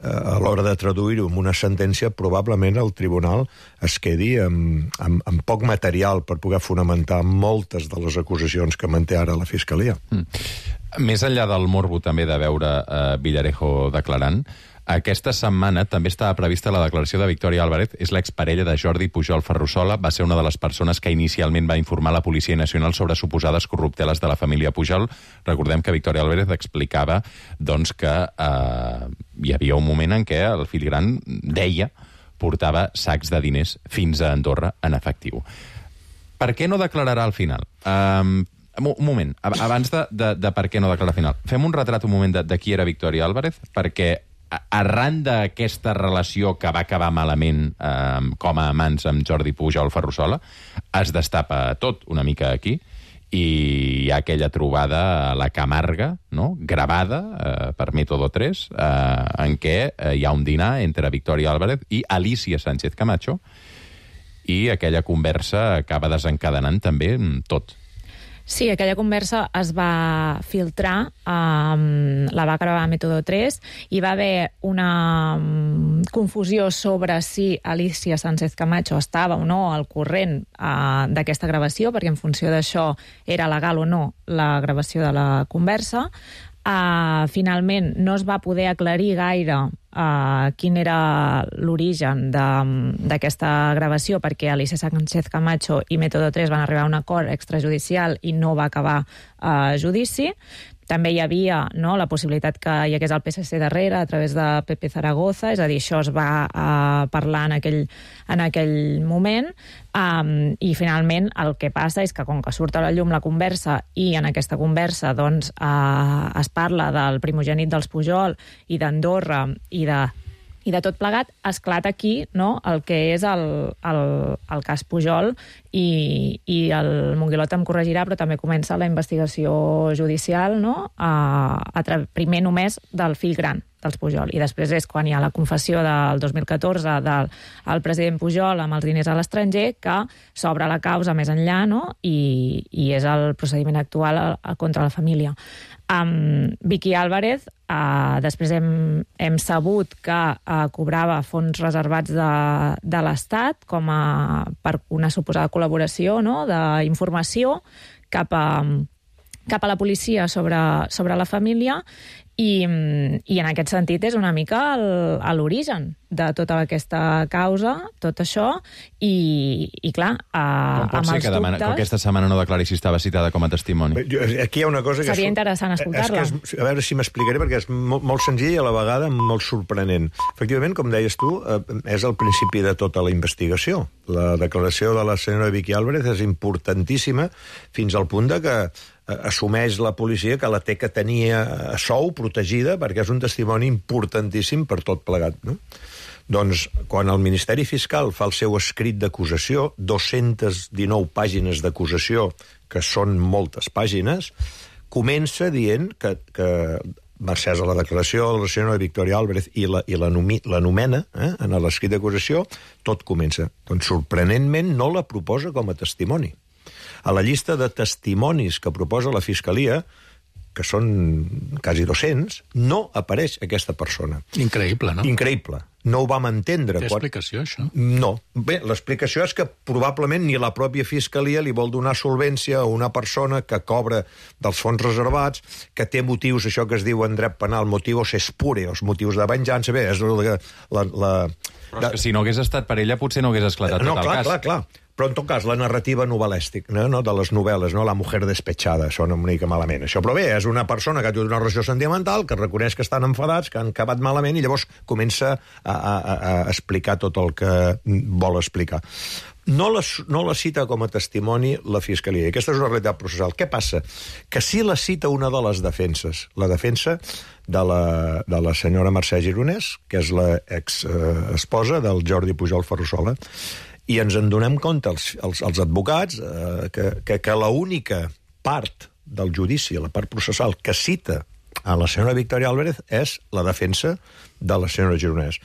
a l'hora de traduir-ho en una sentència probablement el tribunal es quedi amb, amb, amb poc material per poder fonamentar moltes de les acusacions que manté ara la Fiscalia. Mm. Més enllà del morbo també de veure eh, Villarejo declarant, aquesta setmana també estava prevista la declaració de Victòria Álvarez. És l'exparella de Jordi Pujol Ferrusola. Va ser una de les persones que inicialment va informar la Policia Nacional sobre suposades corrupteles de la família Pujol. Recordem que Victòria Álvarez explicava doncs, que eh, hi havia un moment en què el fill gran deia portava sacs de diners fins a Andorra en efectiu. Per què no declararà al final? Um, un moment, abans de, de, de per què no declarar al final, fem un retrat un moment de, de qui era Victòria Álvarez, perquè arran d'aquesta relació que va acabar malament eh, com a amants amb Jordi Pujol Ferrusola, es destapa tot una mica aquí, i hi ha aquella trobada a la Camarga, no? Gravada eh, per Método tres, eh, en què eh, hi ha un dinar entre Victòria Álvarez i Alicia Sánchez Camacho, i aquella conversa acaba desencadenant també tot. Sí, aquella conversa es va filtrar, um, la va gravar Método tres, i va haver una um, confusió sobre si Alicia Sánchez Camacho estava o no al corrent uh, d'aquesta gravació, perquè en funció d'això era legal o no la gravació de la conversa. Uh, finalment no es va poder aclarir gaire uh, quin era l'origen d'aquesta gravació, perquè Alicia Sánchez Camacho i Método tres van arribar a un acord extrajudicial i no va acabar uh, judici. També hi havia, no, la possibilitat que hi hagués el P S C darrere a través de Pepe Zaragoza, és a dir, això es va uh, parlar en aquell, en aquell moment, um, i finalment el que passa és que com que surt a la llum la conversa i en aquesta conversa doncs, uh, es parla del primogènit dels Pujol i d'Andorra i de i de tot plegat, esclata aquí, no?, el que és el, el, el cas Pujol, i, i el Monguilot em corregirà, però també comença la investigació judicial, no?, a, a primer només del fill gran dels Pujol, i després és quan hi ha la confessió del dos mil catorze del el president Pujol amb els diners a l'estranger, que s'obre la causa més enllà, no?, i, i és el procediment actual a, a, contra la família. Um, Vicky Álvarez, uh, després hem, hem sabut que uh, cobrava fons reservats de, de l'Estat com a, per una suposada col·laboració, no?, d'informació cap a, cap a la policia sobre, sobre la família, i, i en aquest sentit és una mica l'origen de tota aquesta causa, tot això, i, i clar, eh, Com pot amb ser els que, demana, que dubtes... aquesta setmana no declari si estava citada com a testimoni? Jo- Aquí hi ha una cosa que... Seria és- interessant escoltar-la. És que és, a veure si m'explicaré, perquè és molt, molt senzill i a la vegada molt sorprenent. Efectivament, com deies tu, eh, és el principi de tota la investigació. La declaració de la senyora Vicky Álvarez és importantíssima fins al punt de que assumeix la policia que la té que tenir a sou, protegida, perquè és un testimoni importantíssim per tot plegat, no? Doncs, quan el Ministeri Fiscal fa el seu escrit d'acusació, dues-centes dinou pàgines d'acusació, que són moltes pàgines, comença dient que, que mercès a la declaració de la senyora Victoria Álvarez i la, i l'anomena eh, en l'escrit d'acusació, tot comença. Doncs, sorprenentment, no la proposa com a testimoni. A la llista de testimonis que proposa la Fiscalia, que són quasi dos-cents, no apareix aquesta persona. Increïble, no? Increïble. No ho vam entendre. Té explicació, això? No. Bé, l'explicació és que probablement ni la pròpia Fiscalia li vol donar solvència a una persona que cobra dels fons reservats, que té motius, això que es diu en dret penal, motivos espureos, motius de venjança. Bé, és la... la, la Però és que si no hagués estat per ella, potser no hagués esclatat no, tot el clar, cas. clar, clar. Però, en tot cas, la narrativa novel·lèstica, no? no? de les novel·les, no? La mujer despechada, sona una mica malament. Això, però bé, és una persona que té una relació sentimental, que reconeix que estan enfadats, que han acabat malament, i llavors comença a, a, a explicar tot el que vol explicar. No la, no la cita com a testimoni la Fiscalia. I aquesta és una realitat processal. Què passa? Que sí la cita una de les defenses. La defensa de la, de la senyora Mercè Gironès, que és l'ex-esposa del Jordi Pujol Ferrusola, i ens en donem compte, els, els, els advocats, eh, que, que, que l'única part del judici, la part processal, que cita a la senyora Victoria Álvarez és la defensa de la senyora Gironès.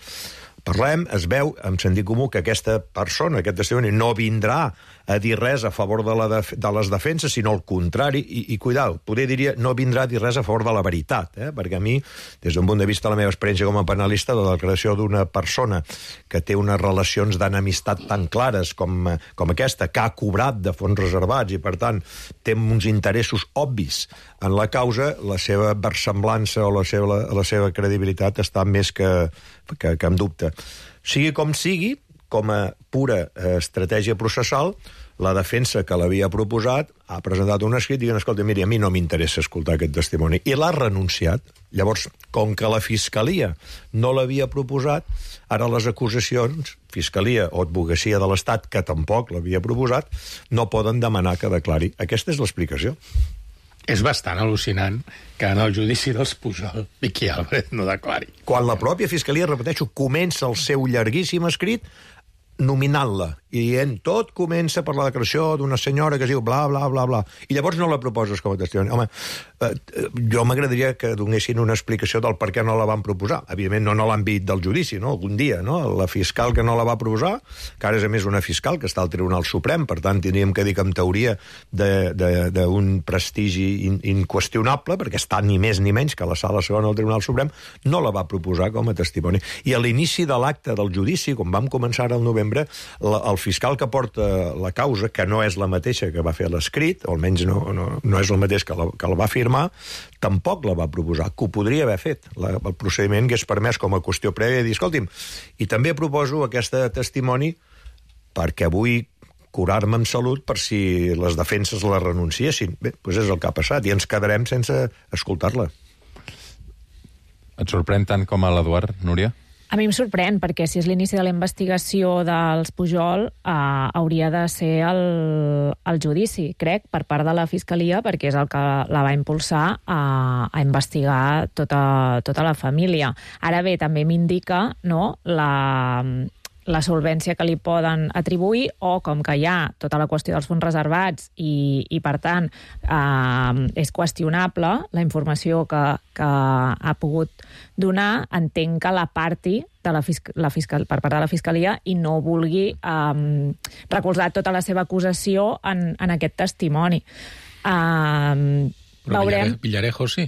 Parlem, es veu, amb sentit comú, que aquesta persona, aquest testimoni, no vindrà a dir res a favor de, la def de les defenses, sinó al contrari, i, i cuidao, poder diria, no vindrà a dir res a favor de la veritat, eh? Perquè a mi, des d'un punt de vista de la meva experiència com a penalista, la declaració d'una persona que té unes relacions d'enemistat tan clares com, com aquesta, que ha cobrat de fons reservats i, per tant, té uns interessos obvis en la causa, la seva versemblança o la seva, la, la seva credibilitat està més que, que, que en dubte. Sigui com sigui, com a pura eh, estratègia processal, la defensa que l'havia proposat ha presentat un escrit dient, escolta, miri, a mi no m'interessa escoltar aquest testimoni, i l'ha renunciat. Llavors, com que la Fiscalia no l'havia proposat, ara les acusacions, Fiscalia o Advocacia de l'Estat, que tampoc l'havia proposat, no poden demanar que declari. Aquesta és l'explicació. És bastant al·lucinant que en el judici dels Pujol Vicky Álvarez no declari. Quan la pròpia Fiscalia, repeteixo, comença el seu llarguíssim escrit nominant-la i dient tot comença per la declaració d'una senyora que es diu bla, bla, bla, bla, i llavors no la proposes com a testimoni. Home, eh, jo m'agradaria que donessin una explicació del per què no la van proposar. Evidentment, no en l'àmbit del judici, no? Algun dia, no? La fiscal que no la va proposar, que ara és a més una fiscal que està al Tribunal Suprem, per tant, tindríem que dir que en teoria d'un prestigi in, inqüestionable, perquè està ni més ni menys que la sala segona del Tribunal Suprem, no la va proposar com a testimoni. I a l'inici de l'acte del judici, quan vam començar al novembre, la, el fiscal que porta la causa, que no és la mateixa que va fer l'escrit, o almenys no, no, no és el mateix que la, que la va firmar, tampoc la va proposar, que ho podria haver fet. La, el procediment hagués permès com a qüestió prèvia dir, escolti'm, i també proposo aquesta testimoni perquè vull curar-me amb salut per si les defenses la renunciessin. Bé, doncs és el que ha passat, i ens quedarem sense escoltar-la. Et sorprèn tant com a l'Eduard, Núria? A mi em sorprèn, perquè si és l'inici de la investigació dels Pujol, eh, hauria de ser el, el judici, crec, per part de la Fiscalia, perquè és el que la va impulsar a, a investigar tota, tota la família. Ara bé, també m'indica, no, la... la solvència que li poden atribuir, o com que hi ha tota la qüestió dels fons reservats i, i per tant, eh, és qüestionable la informació que, que ha pogut donar, entenc que la parti de la fiscal, la fiscal, per part de la Fiscalia i no vulgui eh, recolzar tota la seva acusació en, en aquest testimoni. Eh, Però veurem... Villarejo sí.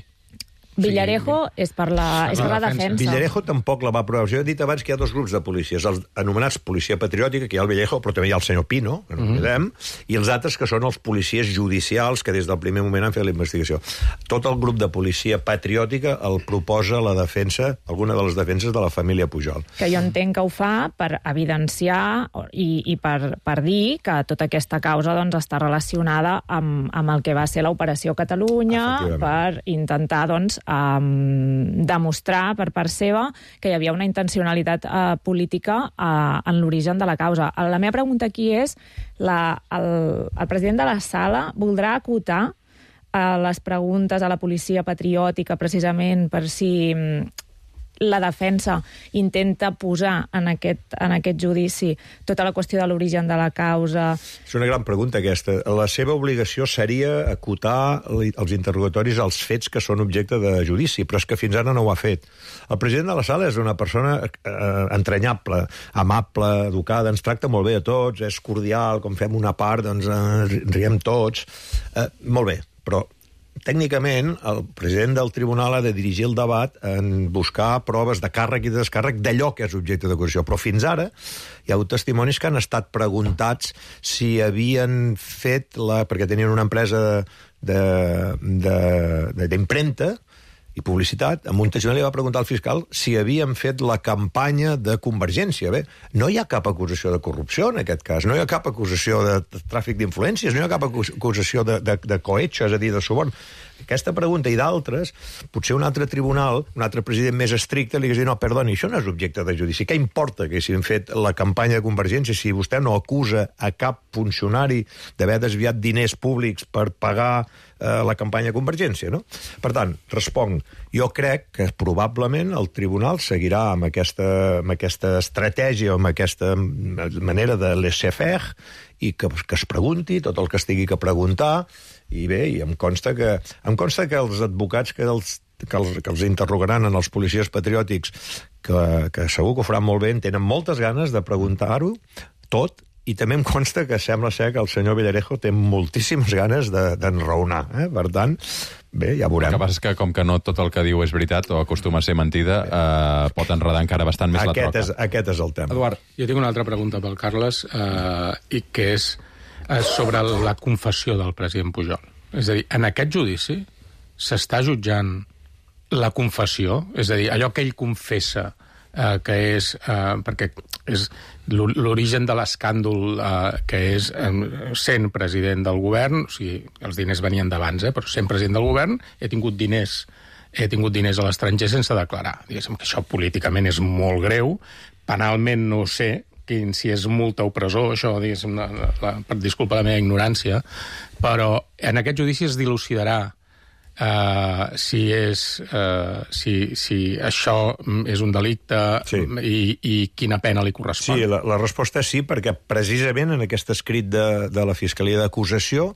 Villarejo és per la, és per la defensa. Villarejo tampoc la va aprovar. Jo he dit abans que hi ha dos grups de policies, els anomenats policia patriòtica, que hi ha el Villarejo, però també hi ha el senyor Pino, que no mm -hmm. i els altres que són els policies judicials, que des del primer moment han fet la investigació. Tot el grup de policia patriòtica el proposa la defensa, alguna de les defenses de la família Pujol. Que jo entenc que ho fa per evidenciar i, i per, per dir que tota aquesta causa doncs, està relacionada amb, amb el que va ser l'Operació Catalunya, per intentar doncs, um, demostrar per part seva que hi havia una intencionalitat uh, política uh, en l'origen de la causa. La meva pregunta aquí és, la, el, el president de la sala voldrà acotar uh, les preguntes a la policia patriòtica precisament per si um, la defensa intenta posar en aquest, en aquest judici tota la qüestió de l'origen de la causa? És una gran pregunta, aquesta. La seva obligació seria acotar els interrogatoris als fets que són objecte de judici, però és que fins ara no ho ha fet. El president de la sala és una persona eh, entranyable, amable, educada, ens tracta molt bé a tots, és cordial, com fem una part, doncs eh, riem tots. Eh, molt bé, però tècnicament, el president del tribunal ha de dirigir el debat en buscar proves de càrrec i de descàrrec d'allò que és objecte d'acusació. Però fins ara hi ha hagut testimonis que han estat preguntats si havien fet, la, perquè tenien una empresa d'impremta i publicitat, amb un testimonari va preguntar al fiscal si havien fet la campanya de Convergència. Bé, no hi ha cap acusació de corrupció en aquest cas, no hi ha cap acusació de tràfic d'influències, no hi ha cap acusació de, de, de cohecho, és a dir, de suborn. Aquesta pregunta i d'altres, potser un altre tribunal, un altre president més estricte, li hagués dit, no, perdoni, això no és objecte de judici. Què importa que hagin fet la campanya de Convergència si vostè no acusa a cap funcionari d'haver desviat diners públics per pagar eh, la campanya de Convergència, no? Per tant, responc, jo crec que probablement el tribunal seguirà amb aquesta, amb aquesta estratègia, amb aquesta manera de laissez-faire i que, que es pregunti tot el que es tingui que preguntar. I bé, i em consta que, em consta que els advocats que els, que els, que els interrogaran en els policies patriòtics, que, que segur que ho faran molt bé, tenen moltes ganes de preguntar-ho tot, i també em consta que sembla ser que el senyor Villarejo té moltíssimes ganes d'enraonar. De, eh? Per tant, bé, ja veurem. El que passa és que, com que no tot el que diu és veritat o acostuma a ser mentida, eh, pot enredar encara bastant més aquest la troca. És, aquest és el tema. Eduard, jo tinc una altra pregunta pel Carles, eh, i que és sobre la confessió del president Pujol. És a dir, en aquest judici s'està jutjant la confessió, és a dir, allò que ell confessa, eh, que és, eh, perquè és l'origen de l'escàndol, eh, que és eh, sent president del govern, o sigui, els diners venien d'abans, eh, però sent president del govern, he tingut diners, he tingut diners a l'estranger sense declarar. Diguéssim que això políticament és molt greu, penalment no ho sé, quin, si és multa o presó, això, diguéssim, la, la, per disculpa la meva ignorància, però en aquest judici es dilucidarà Uh, si és uh, si, si això és un delicte, sí, i, i quina pena li correspon. Sí, la, la resposta és sí, perquè precisament en aquest escrit de, de la Fiscalia d'Acusació,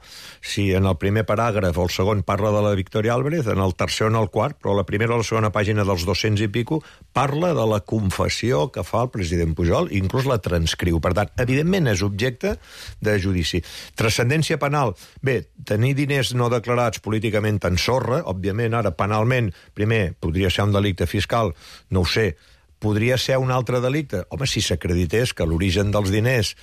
si en el primer paràgraf o el segon parla de la Victòria Álvarez, en el tercer o en el quart, però la primera o la segona pàgina dels dos-cents i pico parla de la confessió que fa el president Pujol, i inclús la transcriu. Per tant, evidentment és objecte de judici. Transcendència penal. Bé, tenir diners no declarats políticament tan sorra, òbviament, ara, penalment, primer, podria ser un delicte fiscal, no ho sé, podria ser un altre delicte? Home, si s'acredités que l'origen dels diners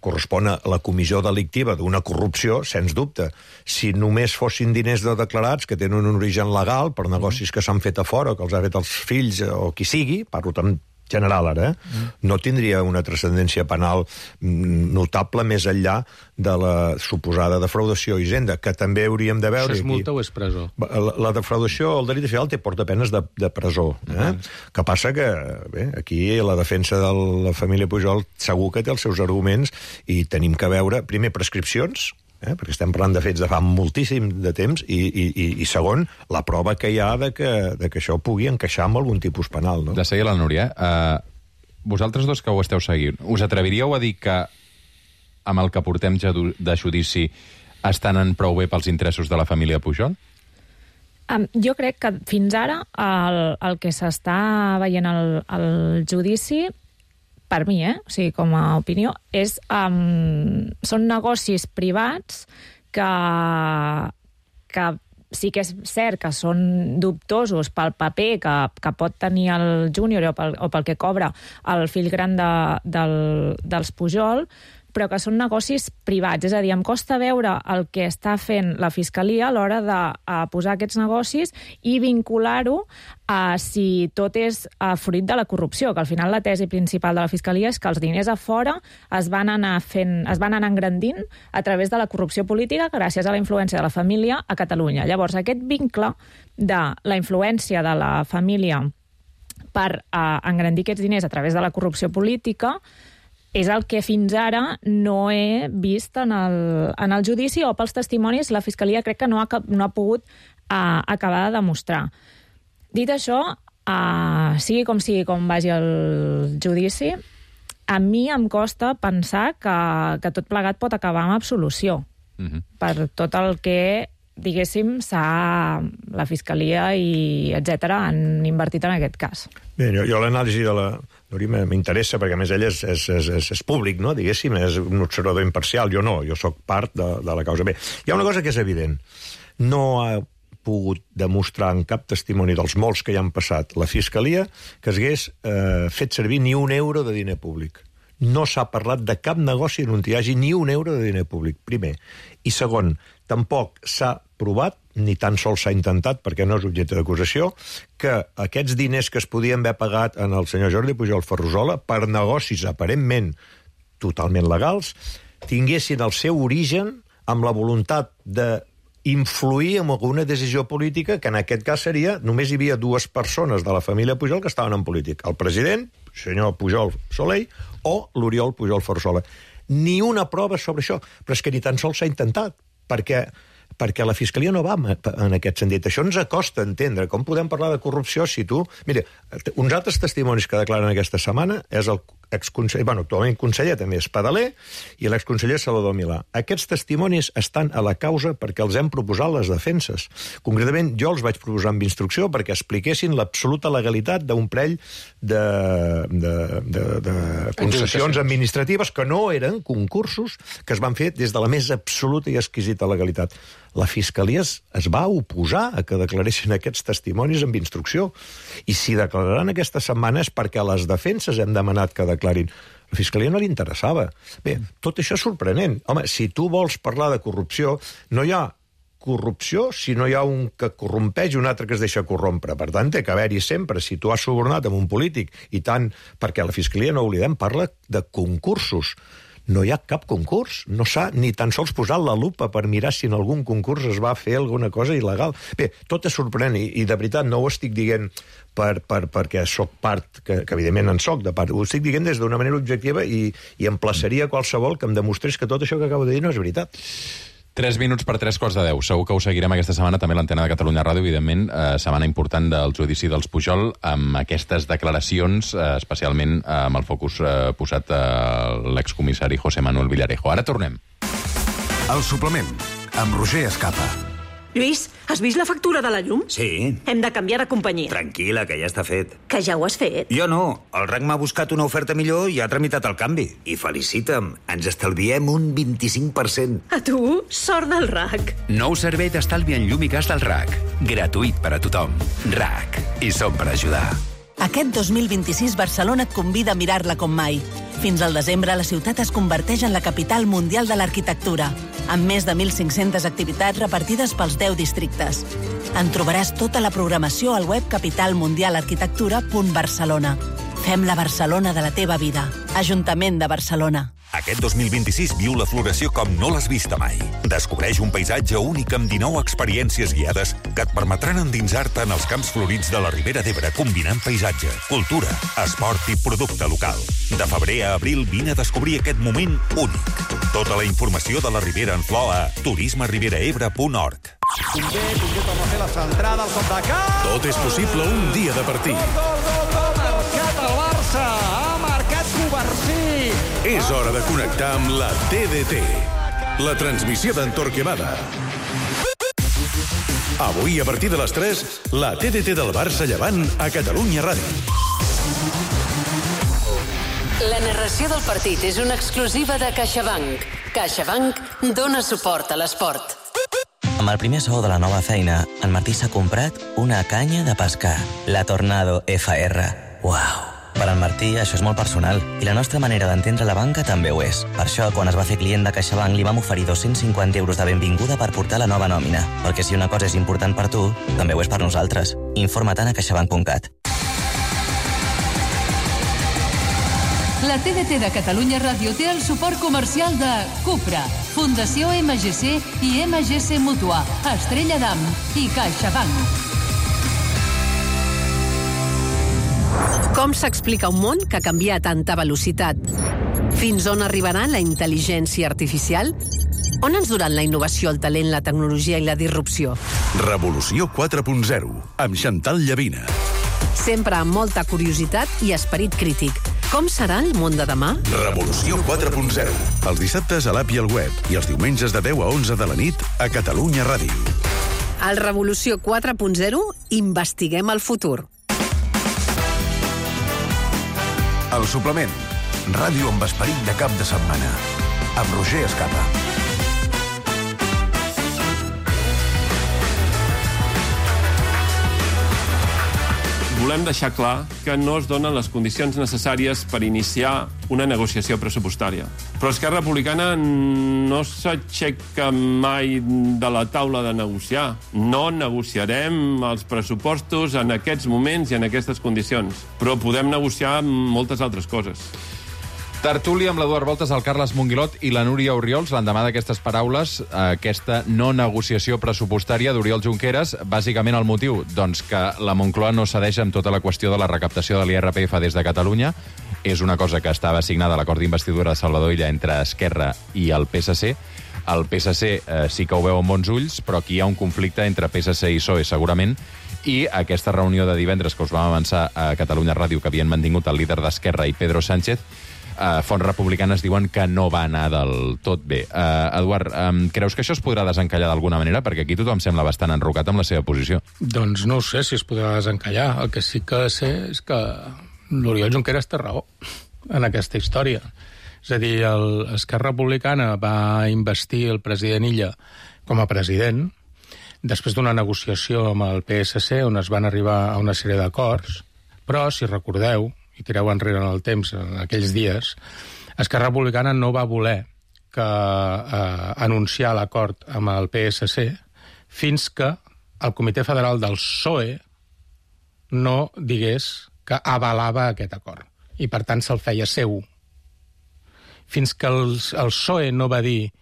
correspon a la comissió delictiva d'una corrupció, sens dubte. Si només fossin diners no declarats, que tenen un origen legal, per negocis que s'han fet a fora, o que els ha fet els fills, o qui sigui, parlo també general ara, eh? Mm. no tindria una transcendència penal notable més enllà de la suposada defraudació i hisenda, que també hauríem de veure... Això és multa aquí. O és presó? La, la defraudació, el delicte fiscal, té porta penes de, de presó. Eh? Mm. Que passa que, bé, aquí la defensa de la família Pujol segur que té els seus arguments i tenim que veure, primer, prescripcions, Eh? perquè estem parlant de fets de fa moltíssim de temps, i, i, i segon, la prova que hi ha de que, de que això pugui encaixar amb algun tipus penal. No? De seguir la Núria, uh, vosaltres dos que ho esteu seguint, us atreviríeu a dir que amb el que portem de judici estan en prou bé pels interessos de la família Pujol? Um, jo crec que fins ara el, el que s'està veient al, al judici, per mi, eh? o sigui, com a opinió, és, um, són negocis privats que, que sí que és cert que són dubtosos pel paper que, que pot tenir el júnior o pel, o pel que cobra el fill gran de, del, dels Pujol, però que són negocis privats. És a dir, em costa veure el que està fent la Fiscalia a l'hora de a posar aquests negocis i vincular-ho a si tot és a fruit de la corrupció, que al final la tesi principal de la Fiscalia és que els diners a fora es van anar fent, es van anar engrandint a través de la corrupció política gràcies a la influència de la família a Catalunya. Llavors, aquest vincle de la influència de la família per eh, engrandir aquests diners a través de la corrupció política és el que fins ara no he vist en el, en el judici o pels testimonis la Fiscalia crec que no ha, no ha pogut uh, acabar de demostrar. Dit això, uh, sigui com sigui com vagi el judici, a mi em costa pensar que, que tot plegat pot acabar amb absolució mm-hmm. per tot el que diguéssim, s'ha la Fiscalia i etcètera han invertit en aquest cas. Bé, jo, jo l'anàlisi de la Núria m'interessa, perquè a més ell és, és, és, és, és públic, no? Diguéssim, és un observador imparcial. Jo no, jo sóc part de, de la causa. Bé, hi ha una cosa que és evident. No ha pogut demostrar en cap testimoni dels molts que hi han passat la Fiscalia que s'hagués eh, fet servir ni un euro de diner públic. No s'ha parlat de cap negoci on hi hagi ni un euro de diner públic, primer. I segon, tampoc s'ha provat, ni tan sols s'ha intentat, perquè no és objecte d'acusació, que aquests diners que es podien haver pagat en el senyor Jordi Pujol Ferrusola per negocis aparentment totalment legals, tinguessin el seu origen amb la voluntat de influir en alguna decisió política, que en aquest cas seria, només hi havia dues persones de la família Pujol que estaven en política, el president, el senyor Pujol Soler, o l'Oriol Pujol Ferrusola. Ni una prova sobre això, però és que ni tan sols s'ha intentat, perquè perquè la Fiscalia no va en aquest sentit. Això ens acosta a entendre com podem parlar de corrupció si tu... Mira, uns altres testimonis que declaren aquesta setmana és el exconseller, bueno, actualment conseller també és Padaler, i l'exconseller Salvador Milà. Aquests testimonis estan a la causa perquè els hem proposat les defenses. Concretament, jo els vaig proposar amb instrucció perquè expliquessin l'absoluta legalitat d'un parell de, de, de, de concessions administratives que no eren concursos que es van fer des de la més absoluta i exquisita legalitat. La Fiscalia es, es va oposar a que declaressin aquests testimonis amb instrucció. I si declararan aquesta setmana és perquè a les defenses hem demanat que declarin. La Fiscalia no li interessava. Bé, tot això és sorprenent. Home, si tu vols parlar de corrupció, no hi ha corrupció si no hi ha un que corrompeix i un altre que es deixa corrompre. Per tant, té que haver-hi sempre, si tu has subornat amb un polític, i tant, perquè la Fiscalia, no oblidem, parla de concursos. No hi ha cap concurs, no s'ha ni tan sols posat la lupa per mirar si en algun concurs es va fer alguna cosa il·legal. Bé, tot és sorprenent, i, i de veritat no ho estic dient per, per, perquè sóc part, que, que evidentment en soc de part, ho estic dient des d'una manera objectiva i, i emplaçaria qualsevol que em demostrés que tot això que acabo de dir no és veritat. Tres minuts per tres quarts de deu. Segur que ho seguirem aquesta setmana, també l'antena de Catalunya Ràdio, evidentment, eh, setmana important del judici dels Pujol, amb aquestes declaracions, eh, especialment eh, amb el focus eh, posat a l'excomissari José Manuel Villarejo. Ara tornem. El suplement, amb Roger Escapa. Lluís, has vist la factura de la llum? Sí. Hem de canviar de companyia. Tranquil·la, que ja està fet. Que ja ho has fet? Jo no. El R A C m'ha buscat una oferta millor i ha tramitat el canvi. I felicita'm, ens estalviem un vint-i-cinc per cent. A tu, sort del R A C. Nou servei d'estalvi en llum i gas del R A C. Gratuït per a tothom. R A C. I som per ajudar. Aquest dos mil vint-i-sis Barcelona et convida a mirar-la com mai. Fins al desembre, la ciutat es converteix en la capital mundial de l'arquitectura, amb més de mil cinc-centes activitats repartides pels deu districtes. En trobaràs tota la programació al web capital mundial arquitectura punt barcelona. Fem la Barcelona de la teva vida. Ajuntament de Barcelona. Aquest dos mil vint-i-sis viu la floració com no l'has vista mai. Descobreix un paisatge únic amb dinou experiències guiades que et permetran endinsar-te en els camps florits de la Ribera d'Ebre, combinant paisatge, cultura, esport i producte local. De febrer a abril vine a descobrir aquest moment únic. Tota la informació de la Ribera en flor a turisme ribera ebre punt org. Convé, Convé torna a fer la centrada, el cop de cap... Tot és possible un dia de partit. Gol, gol, gol, gol, marcat el Barça, ha marcat Covarsí. És hora de connectar amb la T D T, la transmissió d'en Torquemada. Avui, a partir de les tres, la T D T del Barça Llevant a Catalunya Ràdio. La narració del partit és una exclusiva de CaixaBank. CaixaBank dona suport a l'esport. Amb el primer sou de la nova feina, en Martí s'ha comprat una canya de pescar, la Tornado F R. Uau! Per en Martí, això és molt personal, i la nostra manera d'entendre la banca també ho és. Per això, quan es va fer client de CaixaBank, li vam oferir dos-cents cinquanta euros de benvinguda per portar la nova nòmina. Perquè si una cosa és important per tu, també ho és per nosaltres. Informa-te'n a caixabank punt cat. La T D T de Catalunya Ràdio té el suport comercial de Cupra, Fundació M G C i M G C Mútua, Estrella d'Am i CaixaBank. Com s'explica un món que canvia a tanta velocitat? Fins on arribarà la intel·ligència artificial? On ens duran la innovació, el talent, la tecnologia i la disrupció? Revolució quatre punt zero, amb Chantal Llavina. Sempre amb molta curiositat i esperit crític. Com serà el món de demà? Revolució quatre punt zero. Els dissabtes a l'app i al web i els diumenges de deu a onze de la nit a Catalunya Ràdio. Al Revolució quatre punt zero investiguem el futur. El suplement. Ràdio amb esperit de cap de setmana. Amb Roger Escapa. Volem deixar clar que no es donen les condicions necessàries per iniciar una negociació pressupostària. Però Esquerra Republicana no s'aixeca mai de la taula de negociar. No negociarem els pressupostos en aquests moments i en aquestes condicions. Però podem negociar moltes altres coses. Tertúlia amb l'Eduard Voltes, el Carles Monguilot i la Núria Oriols. L'endemà d'aquestes paraules, aquesta no negociació pressupostària d'Oriol Junqueras, bàsicament el motiu, doncs que la Moncloa no cedeix amb tota la qüestió de la recaptació de l'I R P F des de Catalunya. És una cosa que estava assignada a l'acord d'investidura de Salvador Illa entre Esquerra i el P S C. El P S C eh, sí que ho veu amb bons ulls, però aquí hi ha un conflicte entre P S C i P S O E, segurament, i aquesta reunió de divendres que us vam avançar a Catalunya Ràdio, que havien mantingut el líder d'Esquerra i Pedro Sánchez, Uh, fonts republicanes diuen que no va anar del tot bé. Uh, Eduard, um, creus que això es podrà desencallar d'alguna manera? Perquè aquí tothom sembla bastant enrocat amb la seva posició. Doncs no ho sé si es podrà desencallar. El que sí que sé és que l'Oriol Junqueras té raó en aquesta història. És a dir, el Esquerra Republicana va investir el president Illa com a president després d'una negociació amb el P S C on es van arribar a una sèrie d'acords, però, si recordeu, i tireu enrere en el temps, en aquells dies, Esquerra Republicana no va voler que eh, anunciar l'acord amb el P S C fins que el Comitè Federal del P S O E no digués que avalava aquest acord. I, per tant, se'l feia seu. Fins que el, el P S O E no va dir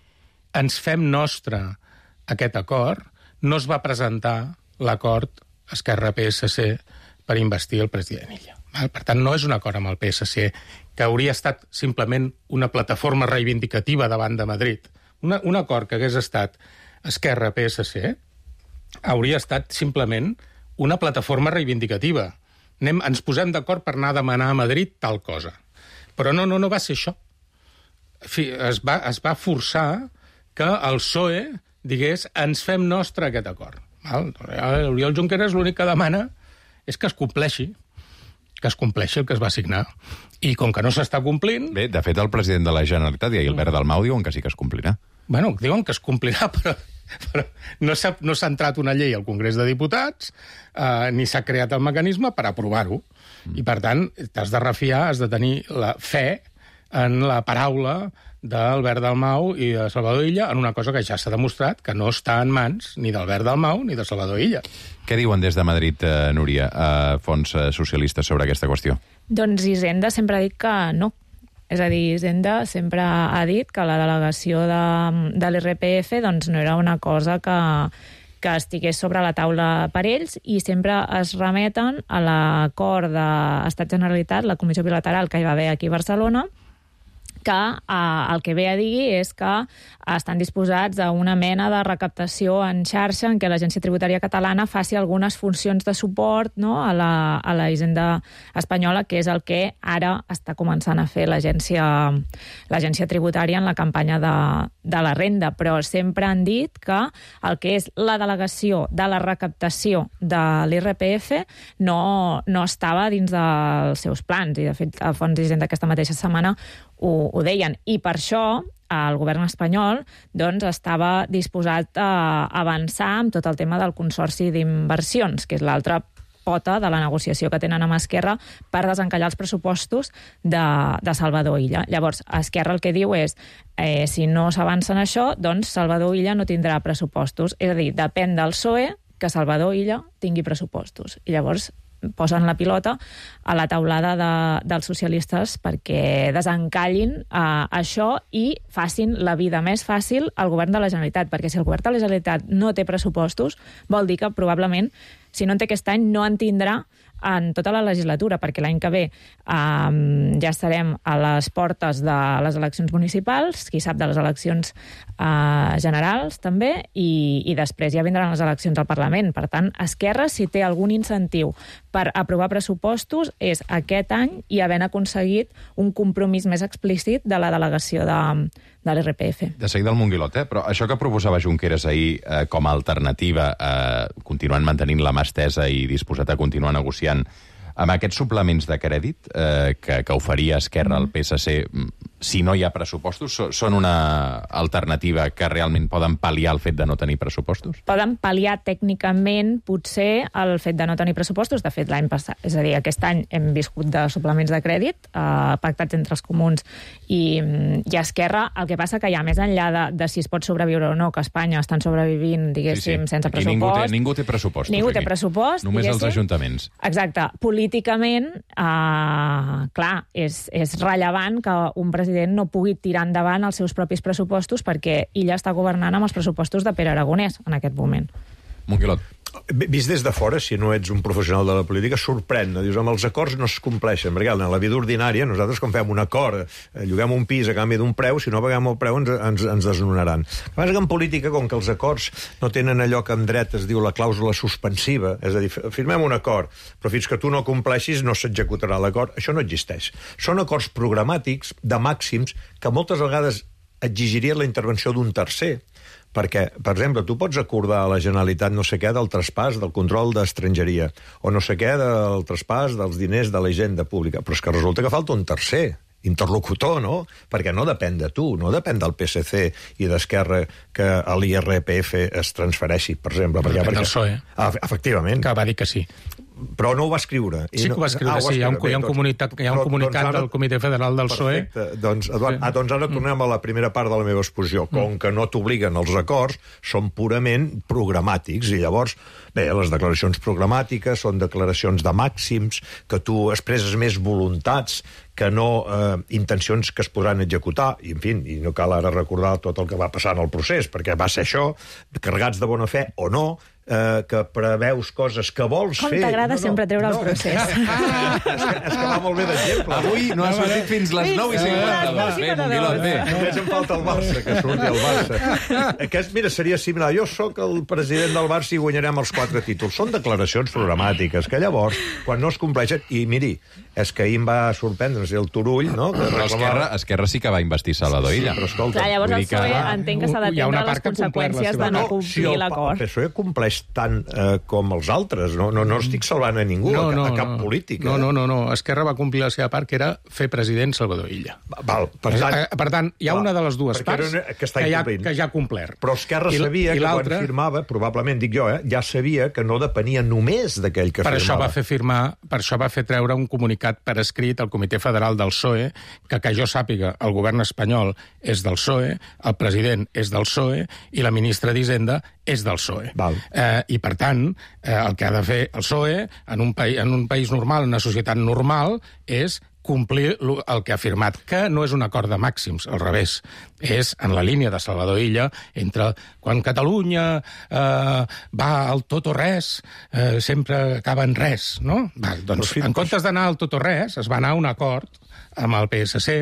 ens fem nostre aquest acord, no es va presentar l'acord Esquerra-P S C per investir el president Illa. Per tant, no és un acord amb el P S C que hauria estat simplement una plataforma reivindicativa davant de Madrid. Una, un acord que hagués estat Esquerra-P S C hauria estat simplement una plataforma reivindicativa. Anem, ens posem d'acord per anar a demanar a Madrid tal cosa. Però no, no, no va ser això. Es va, es va forçar que el P S O E digués ens fem nostre aquest acord. L'Oriol Junqueras l'únic que demana és que es compleixi. que es compleixi el que es va signar. I com que no s'està complint... Bé, de fet, el president de la Generalitat i Albert Dalmau diuen que sí que es complirà. Bueno, diuen que es complirà, però, però no s'ha no s'ha entrat una llei al Congrés de Diputats, eh, ni s'ha creat el mecanisme per aprovar-ho. Mm. I, per tant, t'has de refiar, has de tenir la fe en la paraula d'Albert Dalmau i de Salvador Illa en una cosa que ja s'ha demostrat que no està en mans ni d'Albert Dalmau ni de Salvador Illa. Què diuen des de Madrid, eh, Núria, a fons eh, socialistes sobre aquesta qüestió? Doncs Hisenda sempre ha dit que no. És a dir, Hisenda sempre ha dit que la delegació de, de l'I R P F doncs, no era una cosa que, que estigués sobre la taula per ells i sempre es remeten a l'acord d'Estat-Generalitat, la comissió bilateral que hi va haver aquí a Barcelona, que eh, el que ve a dir és que estan disposats a una mena de recaptació en xarxa en què l'Agència Tributària Catalana faci algunes funcions de suport, no?, a, la, a la Hisenda espanyola, que és el que ara està començant a fer l'agència l'agència tributària en la campanya de, de la renda. Però sempre han dit que el que és la delegació de la recaptació de l'I R P F no, no estava dins dels seus plans. I, de fet, a Fons d'Hisenda aquesta mateixa setmana ho, ho deien. I per això el govern espanyol doncs, estava disposat a avançar amb tot el tema del Consorci d'Inversions, que és l'altra pota de la negociació que tenen amb Esquerra per desencallar els pressupostos de, de Salvador Illa. Llavors, Esquerra el que diu és eh, si no s'avança en això, doncs Salvador Illa no tindrà pressupostos. És a dir, depèn del P S O E que Salvador Illa tingui pressupostos. I llavors posen la pilota a la taulada de, dels socialistes perquè desencallin eh, això i facin la vida més fàcil al govern de la Generalitat, perquè si el govern de la Generalitat no té pressupostos, vol dir que probablement, si no en té aquest any, no en tindrà en tota la legislatura, perquè l'any que ve um, ja estarem a les portes de les eleccions municipals, qui sap de les eleccions uh, generals també, i, i després ja vindran les eleccions al Parlament. Per tant, Esquerra, si té algun incentiu per aprovar pressupostos, és aquest any i havent aconseguit un compromís més explícit de la delegació de, de l'R P F. De seguida el Monguilot, eh? Però això que proposava Junqueras ahir eh, com a alternativa, eh, continuant mantenint la mà estesa i disposat a continuar negociant amb aquests suplements de crèdit eh, que, que oferia Esquerra al P S C, si no hi ha pressupostos, són una alternativa que realment poden pal·liar el fet de no tenir pressupostos? Poden pal·liar tècnicament, potser, el fet de no tenir pressupostos. De fet, l'any passat, és a dir, aquest any hem viscut de suplements de crèdit eh, pactats entre els comuns i, i Esquerra. El que passa que ja més enllà de, de si es pot sobreviure o no, que Espanya estan sobrevivint, diguéssim, sí, sí. sense Aquí pressupost. Ningú té, ningú té pressupostos. Ningú aquí. té pressupost, Només diguéssim. els ajuntaments. Exacte. Políticament, eh, clar, és, és rellevant que un president no pugui tirar endavant els seus propis pressupostos perquè ella està governant amb els pressupostos de Pere Aragonès en aquest moment. Monguilot. Vist des de fora, si no ets un professional de la política, sorprèn. No? Dius, amb els acords no es compleixen. Perquè en la vida ordinària, nosaltres quan fem un acord, eh, lloguem un pis a canvi d'un preu, si no paguem el preu ens, ens, ens desnonaran. El que passa que en política, com que els acords no tenen allò que en dret es diu la clàusula suspensiva, és a dir, firmem un acord, però fins que tu no compleixis no s'executarà l'acord, això no existeix. Són acords programàtics de màxims que moltes vegades exigirien la intervenció d'un tercer. Perquè, per exemple, tu pots acordar a la Generalitat no sé què del traspàs del control d'estrangeria o no sé què del traspàs dels diners de la hisenda pública, però és que resulta que falta un tercer interlocutor, no? Perquè no depèn de tu, no depèn del P S C i d'Esquerra que a l'I R P F es transfereixi, per exemple. No perquè, depèn perquè... del P S O E. Ah, efectivament. Que va dir que sí. Però no ho va escriure. Sí que ho va escriure, ah, sí. Hi ha un, hi ha un comunicat, hi ha un comunicat doncs, del Comitè Federal del P S O E. Perfecte. Doncs, Eduard, sí. ah, doncs ara tornem a la primera part de la meva exposició. Com que no t'obliguen els acords, són purament programàtics. I llavors, bé, les declaracions programàtiques són declaracions de màxims, que tu expresses més voluntats que no eh, intencions que es podran executar, i en fi, i no cal ara recordar tot el que va passar en el procés, perquè va ser això, carregats de bona fe o no, eh, que preveus coses que vols Com fer... Com t'agrada no, no, sempre treure no. el procés. Ah, és, que, és que va molt bé d'exemple. Avui no ha sortit fins les nou i cinquanta-dos. Bé, Monguilot, bé. Només em falta el Barça, que surti el Barça. Aquest, mira, seria similar. Jo sóc el president del Barça i guanyarem els quatre títols. Són declaracions programàtiques, que llavors, quan no es compleixen... I miri, és que ahir em va sorprendre el Turull, no? Que però Esquerra, Esquerra sí que va investir Salvador Illa. Sí, però escolta... Clar, llavors el P S O E que... entenc que s'ha d'atendre les conseqüències de no complir no, si l'acord. El P S O E compleix tant eh, com els altres. No, no, no estic salvant a ningú, no, no, a, a cap no. polític. No, eh? no, no, no. Esquerra va complir la seva part, que era fer president Salvador Illa. Val, per tant, eh, per tant hi ha val, una de les dues parts una, que, que, ja, que ja ha complert. Però Esquerra I, sabia i que quan firmava, probablement, dic jo, eh, ja sabia que no depenia només d'aquell que per firmava. Això va fer firmar, per això va fer treure un comunicat per escrit al Comitè Federal del P S O E, que que jo sàpiga, el govern espanyol és del P S O E, el president és del P S O E i la ministra d'Hisenda és del P S O E. Val. Eh, I, per tant, eh, el que ha de fer el P S O E en un, país, en un país normal, en una societat normal, és complir el que ha firmat, que no és un acord de màxims, al revés. És en la línia de Salvador Illa, entre quan Catalunya eh, va al tot o res, eh, sempre acaba en res, no? Va, doncs, en comptes d'anar al tot o res, es va anar a un acord amb el P S C,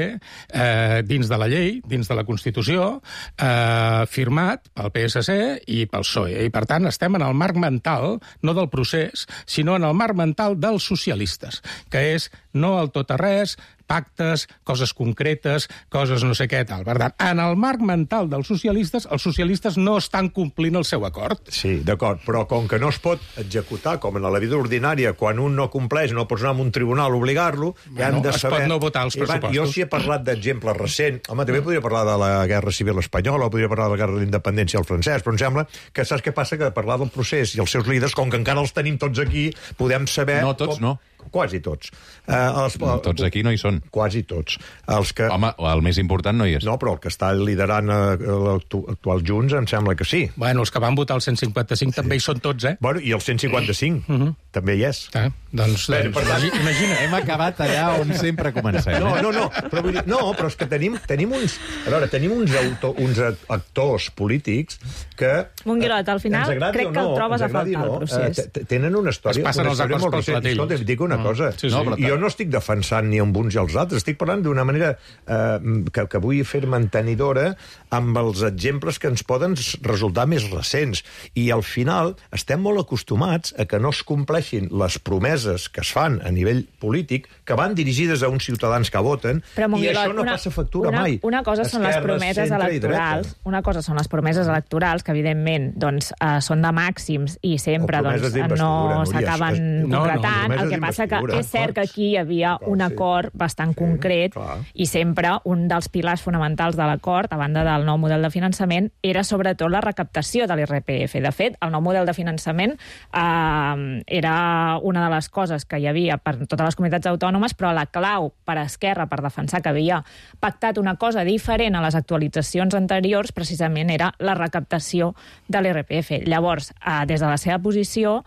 eh, dins de la llei, dins de la Constitució, eh, firmat pel P S C i pel P S O E. I, per tant, estem en el marc mental, no del procés, sinó en el marc mental dels socialistes, que és no al tot a res, pactes, coses concretes, coses no sé què, tal. Per tant, en el marc mental dels socialistes, els socialistes no estan complint el seu acord. Sí, d'acord, però com que no es pot executar, com en la vida ordinària, quan un no compleix, no pots anar a un tribunal a obligar-lo, ja hem Bueno, de es saber... pot no votar els I, van, pressupostos. Jo sí he parlat d'exemples recents. Home, també podria parlar de la Guerra Civil Espanyola, o podria parlar de la Guerra de l'Independència al francès, però em sembla que saps què passa? Que de parlar del procés i els seus líders, com que encara els tenim tots aquí, podem saber... No, tots com... no. Quasi tots. Uh, els, uh, Tots aquí no hi són. Quasi tots. Els que... Home, el més important no hi és. No, però el que està liderant uh, l'actual Junts em sembla que sí. Bueno, els que van votar el cent cinquanta-cinc sí. també hi són tots, eh? Bueno, i el cent cinquanta-cinc uh -huh. també hi és. Eh? Doncs, Bé, doncs per tant, imagina. Hem acabat allà on sempre comencem. No, eh? no, no, però, vull dir, no, però és que tenim, tenim uns... A veure, tenim uns, auto, uns actors polítics que... Monguilot, al final crec que el trobes a faltar el procés. Eh, tenen una història... Es passen una els història acords molt pels recent. platells. Escolta, et dic una Mm. cosa. Sí, sí. No, jo no estic defensant ni amb uns i els altres, estic parlant d'una manera eh, que, que vull fer mantenidora amb els exemples que ens poden resultar més recents. I al final estem molt acostumats a que no es compleixin les promeses que es fan a nivell polític, que van dirigides a uns ciutadans que voten, Però, Monguilot, i això no una, passa factura una, mai. Una cosa són les Esquerra, promeses centre i electorals, dreta. una cosa són les promeses electorals, que evidentment doncs, eh, són de màxims i sempre O promeses doncs, d'investidura, no Núria, s'acaben és- no, no, concretant. promeses El que passa que d'investidura. és cert que aquí hi havia Clar, un sí. acord bastant concret i sempre un dels pilars fonamentals de l'acord, a banda del nou model de finançament, era sobretot la recaptació de l'I R P F. De fet, el nou model de finançament eh, era una de les coses que hi havia per totes les comunitats autònomes, però la clau per a Esquerra per defensar que havia pactat una cosa diferent a les actualitzacions anteriors precisament era la recaptació de l'I R P F. Llavors, eh, des de la seva posició,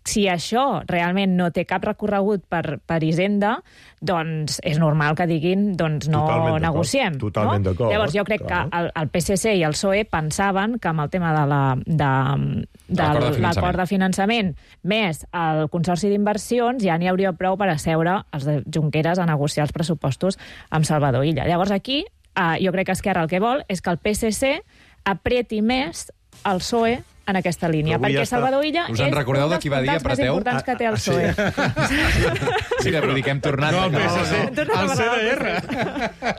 si això realment no té cap recorregut per, per Hisenda, doncs és normal que diguin doncs no Totalment negociem. Totalment no? d'acord. Llavors jo crec Clar. que el, el P S C i el P S O E pensaven que amb el tema de la, de, de L'acord de finançament. l'acord de finançament més el Consorci d'Inversions ja n'hi hauria prou per asseure els de Junqueras a negociar els pressupostos amb Salvador Illa. Llavors aquí eh, jo crec que Esquerra el que vol és que el P S C apreti més el P S O E en aquesta línia, Però avui perquè ja està. Salvador Illa Us és en recordeu un de dels qui va dir puntals més apreteu? importants que té el P S O E. Sí, vull dir que hem tornat... No, el a- P S C, Hem tornat a el parlar C D del R.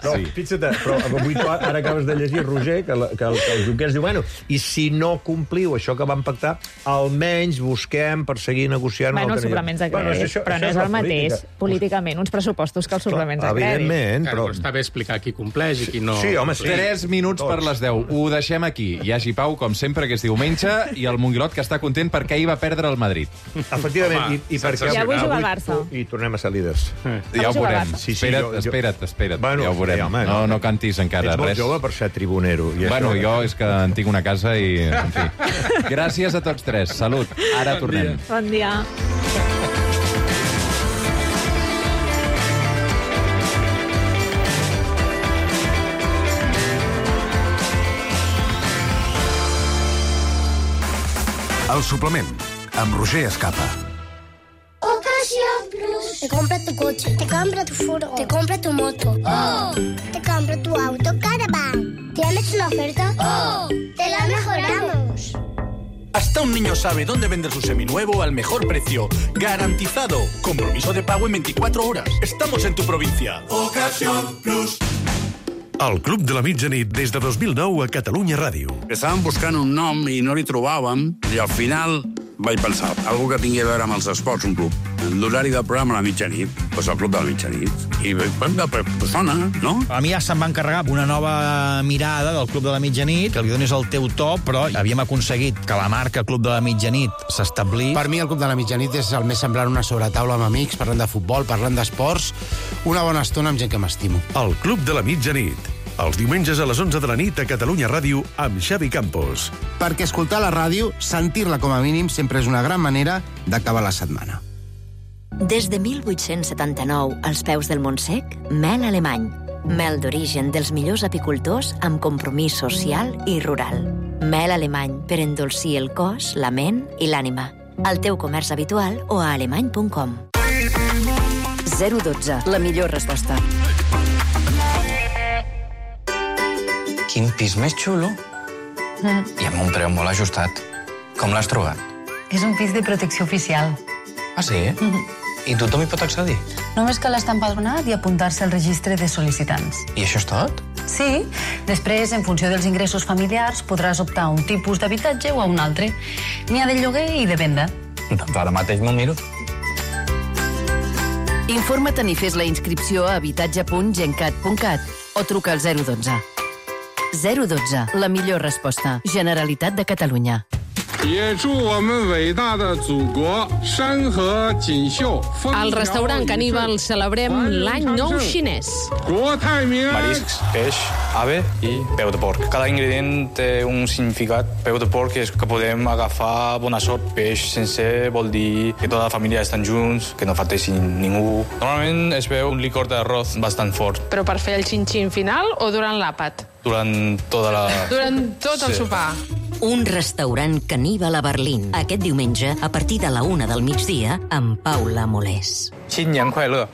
Però, sí. Fixa't, però avui tu ara acabes de llegir, Roger, que, la, que, el, que el Junqueras diu, bueno, i si no compliu això que vam pactar, almenys busquem per seguir negociant... Bueno, una els altra- suplements de Bueno, crèdit, això- però això no és la el mateix, política. políticament, uns pressupostos que els suplements de crèdit. Evidentment, Però... però... Està bé explicar qui compleix i qui no... Sí, home, sí. Tres minuts per les deu. Ho deixem aquí. Hi hagi Pau, com sempre, que és diumenge, i el Monguilot, que està content perquè ahir va perdre el Madrid. Efectivament, Home, i, i perquè... I avui juga el Barça. I tornem a ser líders. Ja ho juga veurem. Barça. Sí, sí, espera't, jo- jo- espera't, espera't. Bueno, ja ho veurem. sí, home, no, no. no cantis encara Ets molt res. jove per ser tribunero. I Bueno, això... jo és que en tinc una casa i... En fi. Gràcies a tots tres. Salut. Ara tornem. Bon dia. El suplement, amb Roger Escapa. Ocasión Plus. Te compra tu coche, te compra tu furgo, te compra tu moto. ¡Oh! Te compra tu auto Caravan. ¿Tienes una oferta? ¡Oh! Te la mejoramos. Hasta un niño sabe dónde vender su seminuevo al mejor precio. Garantizado. Compromiso de pago en veinticuatro horas. Estamos en tu provincia. Ocasión Plus. El Club de la Mitjanit des de dos mil nou a Catalunya Ràdio. Estàvem buscant un nom i no li trobàvem, i al final vaig pensar, algú que tingui a veure amb els esports, un club. L'horari del programa a la mitjanit, doncs el Club de la Mitjanit. I pues, sona, no? A mi ja se'm va encarregar una nova mirada del Club de la Mitjanit, que li donis el teu to, però havíem aconseguit que la marca Club de la Mitjanit s'establís. Per mi el Club de la Mitjanit és el més semblant a una sobretaula amb amics, parlant de futbol, parlant d'esports, una bona estona amb gent que m'estimo. El Club de la Mitjanit. Els diumenges a les onze de la nit a Catalunya Ràdio amb Xavi Campos. Perquè escoltar la ràdio, sentir-la com a mínim, sempre és una gran manera d'acabar la setmana. Des de mil vuit-cents setanta-nou, als peus del Montsec, mel alemany. Mel d'origen dels millors apicultors amb compromís social i rural. Mel alemany per endolcir el cos, la ment i l'ànima. Al teu comerç habitual o a alemany punt com. zero dotze, la millor resposta. Quin pis més xulo. Mm. I amb un preu molt ajustat. Com l'has trobat? És un pis de protecció oficial. Ah, sí? Mm. I tothom hi pot accedir? No, Només cal estar empadronat i apuntar-se al registre de sol·licitants. I això és tot? Sí. Després, en funció dels ingressos familiars, podràs optar a un tipus d'habitatge o a un altre. N'hi ha de lloguer i de venda. Doncs ara mateix m'ho miro. Informa't i fes la inscripció a habitatge punt gencat punt cat o truca al zero dotze. zero dotze, la millor resposta. Generalitat de Catalunya. 也祝我们伟大的祖国山河锦绣。 Al restaurant Caníbal celebrem l'any nou xinès. Mariscs, peix, ave i peu de porc. Cada ingredient té un significat. Peu de porc és que podem agafar bona sort. Peix sencer vol dir que tota la família estan junts, que no falteixi ningú. Normalment es veu un licor d'arròs bastant fort. Però per fer el xin-xin final o durant l'àpat? Durant tota la... Durant tot el sopar. Un restaurant caníbal a Berlín. Aquest diumenge, a partir de la una del migdia, amb Paula Molés. 新年快乐